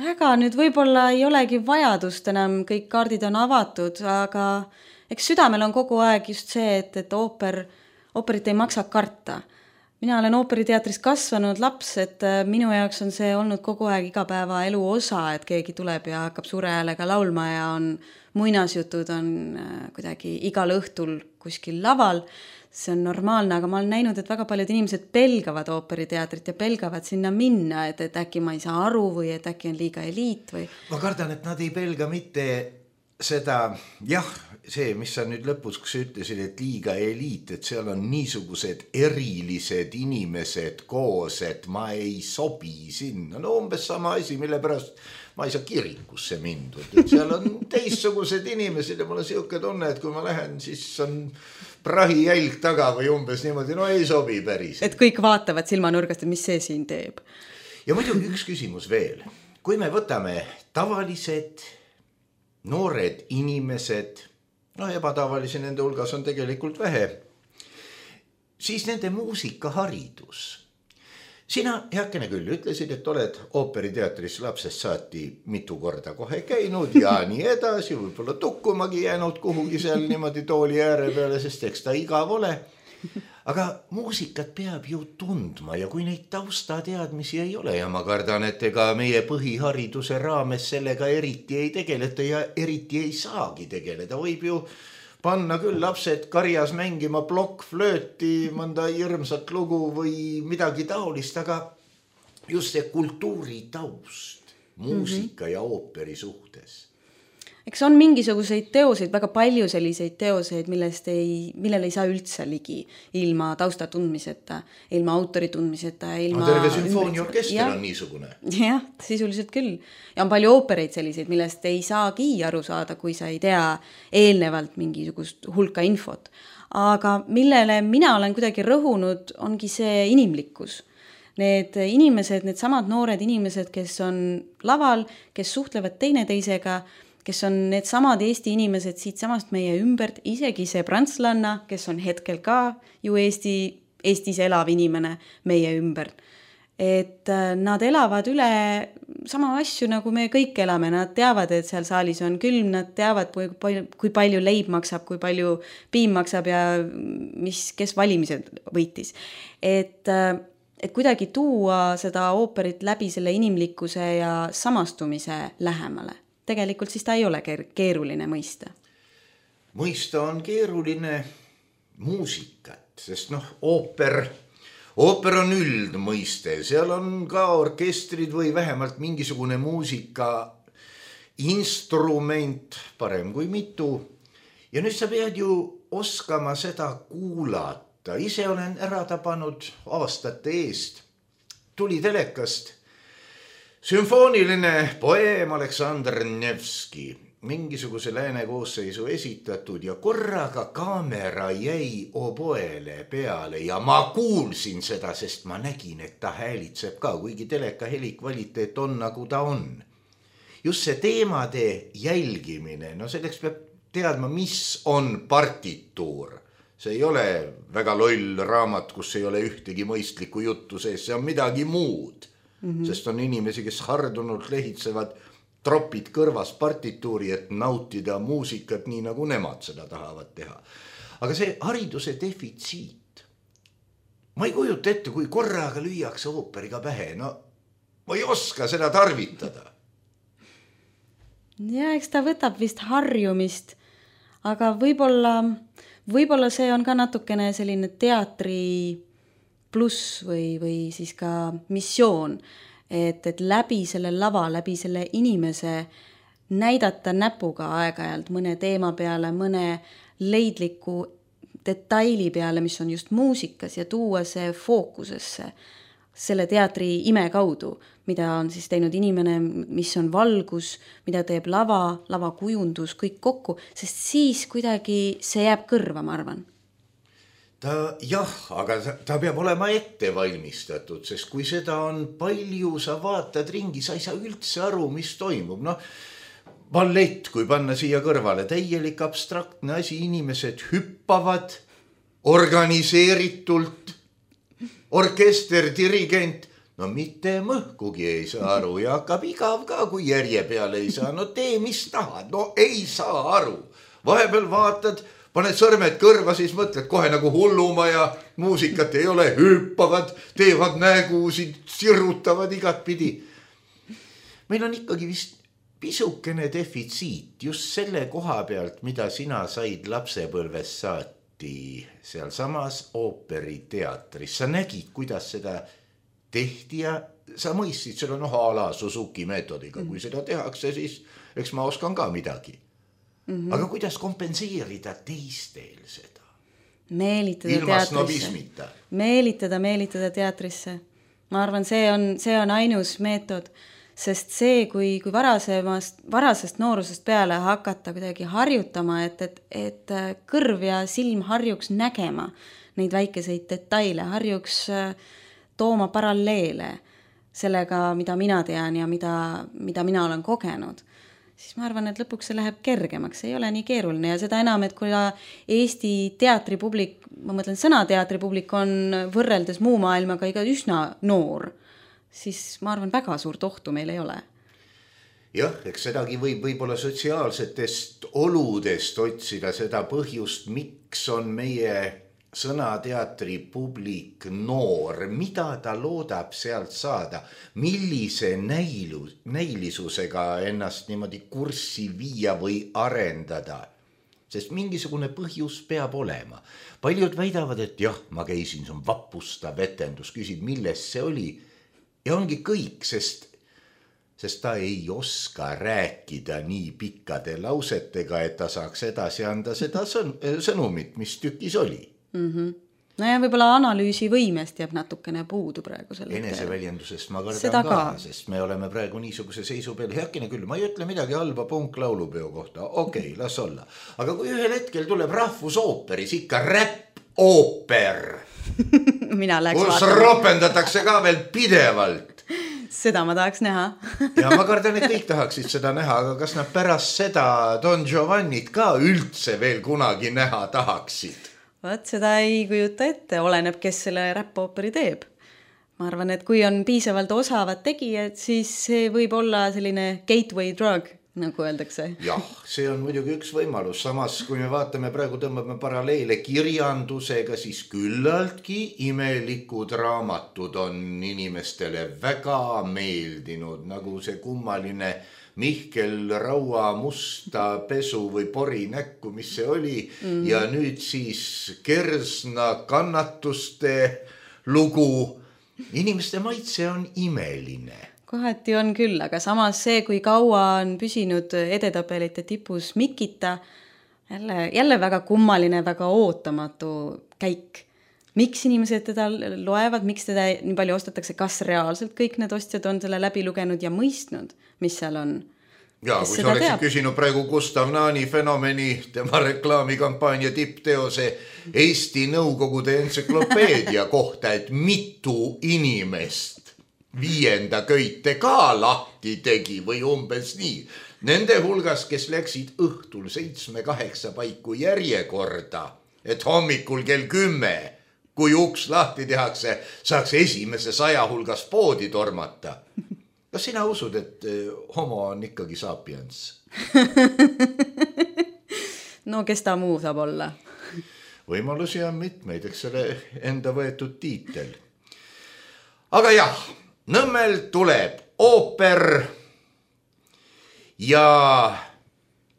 väga nüüd võib-olla ei olegi vajadust enam, kõik kaardid on avatud, aga eks südamel on kogu aeg just see, et, et ooper, ooperit ei maksa karta. Mina olen ooperiteatris kasvanud laps, et minu jaoks on see olnud kogu aeg igapäeva elu osa, et keegi tuleb ja hakkab suure häälega laulma ja on muinasjutud on kuidagi igal õhtul kuskil laval. See on normaalne, aga ma olen näinud, et väga paljud inimesed pelgavad ooperiteatrit ja pelgavad sinna minna, et, et äkki ma ei saa aru või et äkki on liiga eliit või... Ma kardan, et nad ei pelga mitte seda, jah, see, mis sa nüüd lõpus, kus sa ütlesid, et liiga eliit, et seal on niisugused erilised inimesed koos, et ma ei sobi sinna. No umbes sama asi, mille pärast ma ei saa kirikusse mindud. Et seal on teistsugused inimesed ja mul on siuke tunne, et kui ma lähen, siis on prahi jälg taga või umbes niimoodi, no ei sobi päris. Et kõik vaatavad silmanurgast, et mis see siin teeb. Ja muidugi üks küsimus veel. Kui me võtame tavalised noored inimesed, no ebatavalisi nende hulgas on tegelikult vähe, siis nende muusikaharidus. Sina, heakene küll, ütlesid, et oled ooperiteatris lapsest saati mitu korda kohe käinud ja nii edasi, võib-olla tukkumagi jäänud kuhugi seal niimoodi tooli ääre peale, sest eks ta igav ole. Aga muusikat peab ju tundma ja kui neid taustateadmisi ei ole ja ma kardan, et ega meie põhihariduse raames sellega eriti ei tegeleta ja eriti ei saagi tegeleda. Võib ju panna küll lapsed karjas mängima plokkflööti, mõnda hirmsat lugu või midagi taolist, aga just see kultuuritaust, muusika mm-hmm. ja ooperi suhtes. Eks on mingisuguseid teoseid, väga palju selliseid teoseid, millest ei, millele ei saa üldse ligi ilma tausta tundmiseta, ilma autori tundmiseta. Ilma no, terve sümfooniorkester on niisugune. Jah, sisuliselt küll. Ja on palju oopereid selliseid, millest ei saagi aru saada, kui sa ei tea eelnevalt mingisugust hulka infot. Aga millele mina olen kuidagi rõhunud, ongi see inimlikkus. Need inimesed, need samad noored inimesed, kes on laval, kes suhtlevad teineteisega, kes on need samad Eesti inimesed siit samast meie ümbert, isegi see prantslanna, kes on hetkel ka ju Eesti Eestis elav inimene meie ümber. Et nad elavad üle sama asju, nagu me kõik elame, nad teavad, et seal saalis on külm, nad teavad, kui palju, kui palju leib maksab, kui palju piim maksab ja mis, kes valimised võitis. Et, et kuidagi tuua seda ooperit läbi selle inimlikkuse ja samastumise lähemale. Tegelikult siis ta ei ole keeruline mõista. Mõista on keeruline muusikat, sest noh, ooper... Ooper on üldmõiste, seal on ka orkestrid või vähemalt mingisugune muusika instrument, parem kui mitu. Ja nüüd sa pead ju oskama seda kuulata. Ise olen ära tabanud aastate eest. Tuli telekast sümfooniline poeem Aleksandr Nevski. Mingisuguse lääne koosseisu esitatud ja korraga kaamera jäi oboele peale ja ma kuulsin seda, sest ma nägin, et ta häälitseb ka, kuigi teleka helikvaliteet on nagu ta on. Just see teemade jälgimine, no selleks peab teadma, mis on partituur. See ei ole väga loll raamat, kus ei ole ühtegi mõistlikku juttu sees, see on midagi muud, mm-hmm. sest on inimesi, kes hardunult lehitsevad tropid kõrvas partituuri, et nautida muusikat nii, nagu nemad seda tahavad teha. Aga see hariduse defitsiit. Ma ei kujuta ette, kui korraga lüüakse ooperiga pähe. No, ma ei oska seda tarvitada. Ja, eks ta võtab vist harjumist, aga võib-olla, võib-olla see on ka natukene selline teatri pluss või, või siis ka missioon. Et, et läbi selle lava, läbi selle inimese näidata näpuga aeg-ajalt mõne teema peale, mõne leidliku detaili peale, mis on just muusikas ja tuua see fookusesse selle teatri ime kaudu, mida on siis teinud inimene, mis on valgus, mida teeb lava, lavakujundus, kõik kokku, sest siis kuidagi see jääb kõrva, ma arvan. Ta, jah, aga ta peab olema ette valmistatud, sest kui seda on palju, sa vaatad ringi, sa ei saa üldse aru, mis toimub. No, ballett, kui panna siia kõrvale, täielik abstraktne asi, inimesed hüppavad organiseeritult, orkester, dirigent, no mitte mõhkugi ei saa aru ja hakkab igav ka, kui järje peale ei saa. No tee, mis tahad, no ei saa aru. Vahepeal vaatad, paned sõrmed kõrva, siis mõtled kohe nagu hulluma ja muusikat ei ole, hüppavad, teevad nägusid, sirutavad igat pidi. Meil on ikkagi vist pisukene defitsiit just selle koha pealt, mida sina said lapsepõlves saati seal samas ooperiteatris. Sa nägid, kuidas seda tehti ja sa mõistsid selle noh a la Suzuki meetodiga. Kui seda tehakse, siis eks ma oskan ka midagi. Mm-hmm. Aga kuidas kompenseerida teistel seda? Meelitada ilma teatrisse. Snobismita. Meelitada, meelitada teatrisse. Ma arvan, see on, see on ainus meetod, sest see, kui, kui varasemast, varasest noorusest peale hakata kuidagi harjutama, et, et, et kõrv ja silm harjuks nägema neid väikeseid detaile, harjuks tooma paralleele sellega, mida mina tean ja mida, mida mina olen kogenud. Siis ma arvan, et lõpuks see läheb kergemaks, see ei ole nii keeruline ja seda enam, et kui Eesti teatripublik, ma mõtlen sõnateatripublik on võrreldes muu maailmaga iga üsna noor, siis ma arvan, väga suurt ohtu meil ei ole. Jah, eks sedagi võib võib-olla sotsiaalsetest oludest otsida seda põhjust, miks on meie sõnateatri publik noor, mida ta loodab sealt saada, millise näilu, näilisusega ennast niimoodi kurssi viia või arendada. Sest mingisugune põhjus peab olema. Paljud väidavad, et jah, ma käisin, see on vapustav etendus, küsid, milles see oli. Ja ongi kõik, sest, sest ta ei oska rääkida nii pikkade lausetega, et ta saaks edasi anda seda sõnumit, mis tükis oli. Mm-hmm. No ja võib-olla analüüsi võimest jääb natukene puudu praegu selle. Eneseväljendusest ma kardan ka, ka, sest me oleme praegu niisuguse seisu peal. Heakene küll, ma ei ütle midagi halba punklaulupeo kohta. Okei, las olla. Aga kui ühel hetkel tuleb rahvusooperis ikka räpp-ooper, Mina läheks kus vaatama. ropendatakse ka veel pidevalt. Seda ma tahaks näha. Ja ma kardan, et kõik tahaksid seda näha, aga kas nad pärast seda Don Giovannit ka üldse veel kunagi näha tahaksid? Vaat seda ei kujuta ette, oleneb, kes selle räppooperi teeb. Ma arvan, et kui on piisavalt osavad tegijad, siis see võib olla selline gateway drug, nagu öeldakse. Jah, see on muidugi üks võimalus. Samas, kui me vaatame, praegu tõmbame paralleele kirjandusega, siis küllaltki imelikud raamatud on inimestele väga meeldinud, nagu see kummaline Mihkel Raua musta pesu või pori näkku, mis see oli. Mm. Ja nüüd siis Kersna kannatuste lugu. Inimeste maitse on imeline. Kohati on küll, aga samas see, kui kaua on püsinud edetabelite tipus Mikita, jälle, jälle väga kummaline, väga ootamatu käik. Miks inimesed teda loevad, miks teda nii palju ostetakse, kas reaalselt kõik need ostjad on selle läbi lugenud ja mõistnud, mis seal on? Ja, kui sa oleksid küsinud praegu Gustav Naani fenomeni, tema reklaamikampaania tippteose Eesti Nõukogude entsüklopeedia kohta, et mitu inimest viienda köite ka lahti tegi või umbes nii. Nende hulgas, kes läksid õhtul seitsme kaheksa paiku järjekorda, et hommikul kell kümme, kui uks lahti tehakse, saaks esimese saja hulgas poodi tormata. Kas sina usud, et homo on ikkagi sapiens? No kes ta muu saab olla? Võimalusi on mitmeid, eks selle enda võetud tiitel. Aga jah, Nõmmel tuleb ooper ja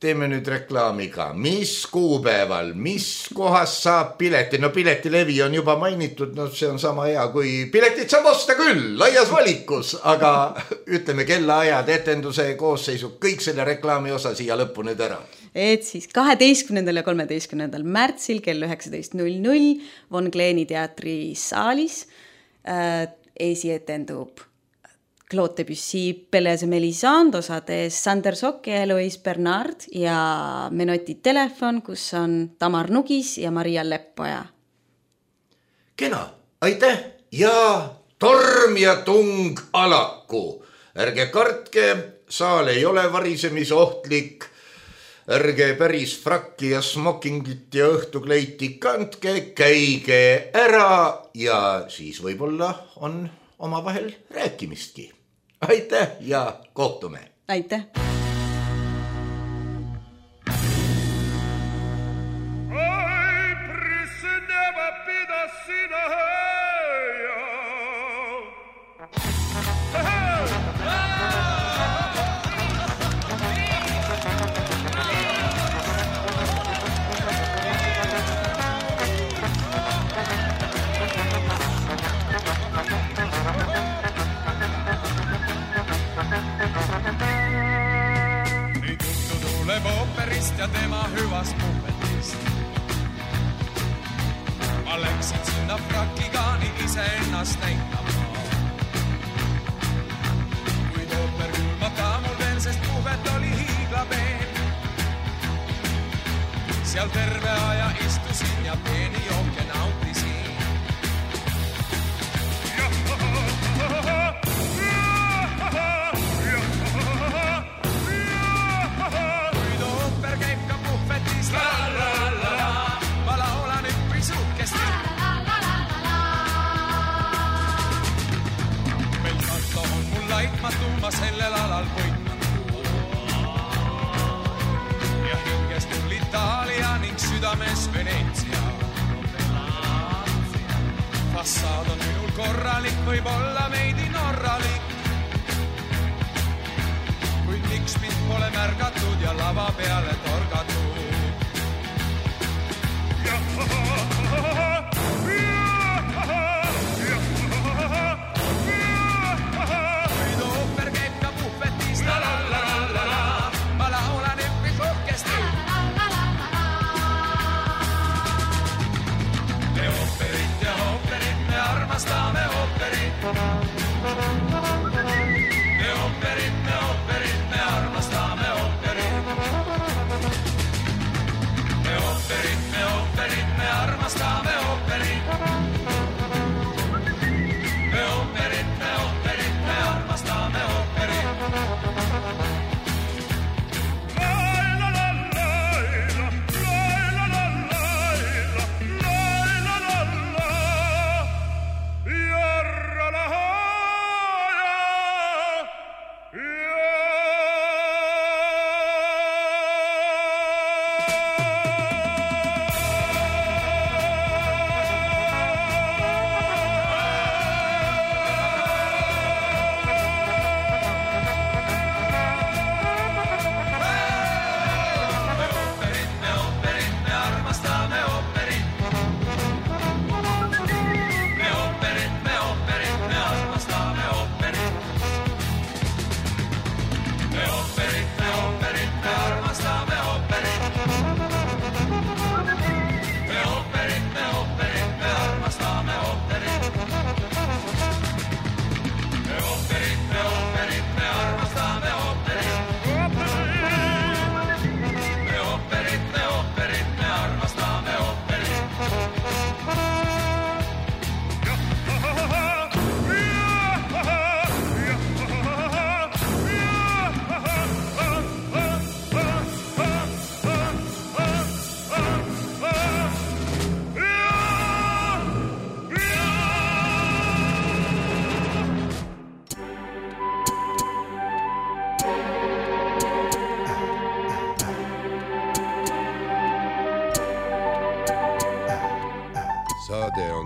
teeme nüüd reklaamiga. Mis kuupäeval, mis kohas saab pileti? No piletilevi on juba mainitud, no see on sama hea kui piletit saab osta küll, laias valikus, aga ütleme kellaajad, etenduse koosseisu, kõik selle reklaami osa siia lõppu nüüd ära. Et siis kaheteistkümnendal ja kolmeteistkümnendal märtsil kell üheksateist null null Von Kleeni teatri saalis äh, esietendub Claude Debussy Pelez et Mélisande osades Sander Sokk ja Eloise Bernard ja Menoti telefon, kus on Tamar Nugis ja Maria Leppoja. Kena, aitäh ja torm ja tung alaku. Ärge kartke, saal ei ole varisemisohtlik. Ärge päris frakki ja smokingit ja õhtukleiti kandke, käige ära ja siis võib-olla on omavahel rääkimistki. Aitäh ja kohtume. Aitäh. Ooperist ja tema hüvast puhvetist. Ma läksin sinna frakigaani ise ennast näitama. Kuid ooper kulmata mul veel, sest puhvet oli hiiglapeen. Seal terve aja istusin ja peeni jooke nautisin. Ma sellel alal võitmatu. Ja hinges mul Itaalia ning südames Veneetsia. Fassaad on minul korralik, võib olla veidi norralik. Kuid miks mind pole märgatud ja lava peale torgatud. Stame operi.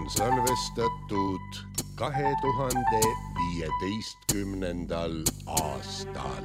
on salvestatud kahe tuhande viieteistkümnendal aastal.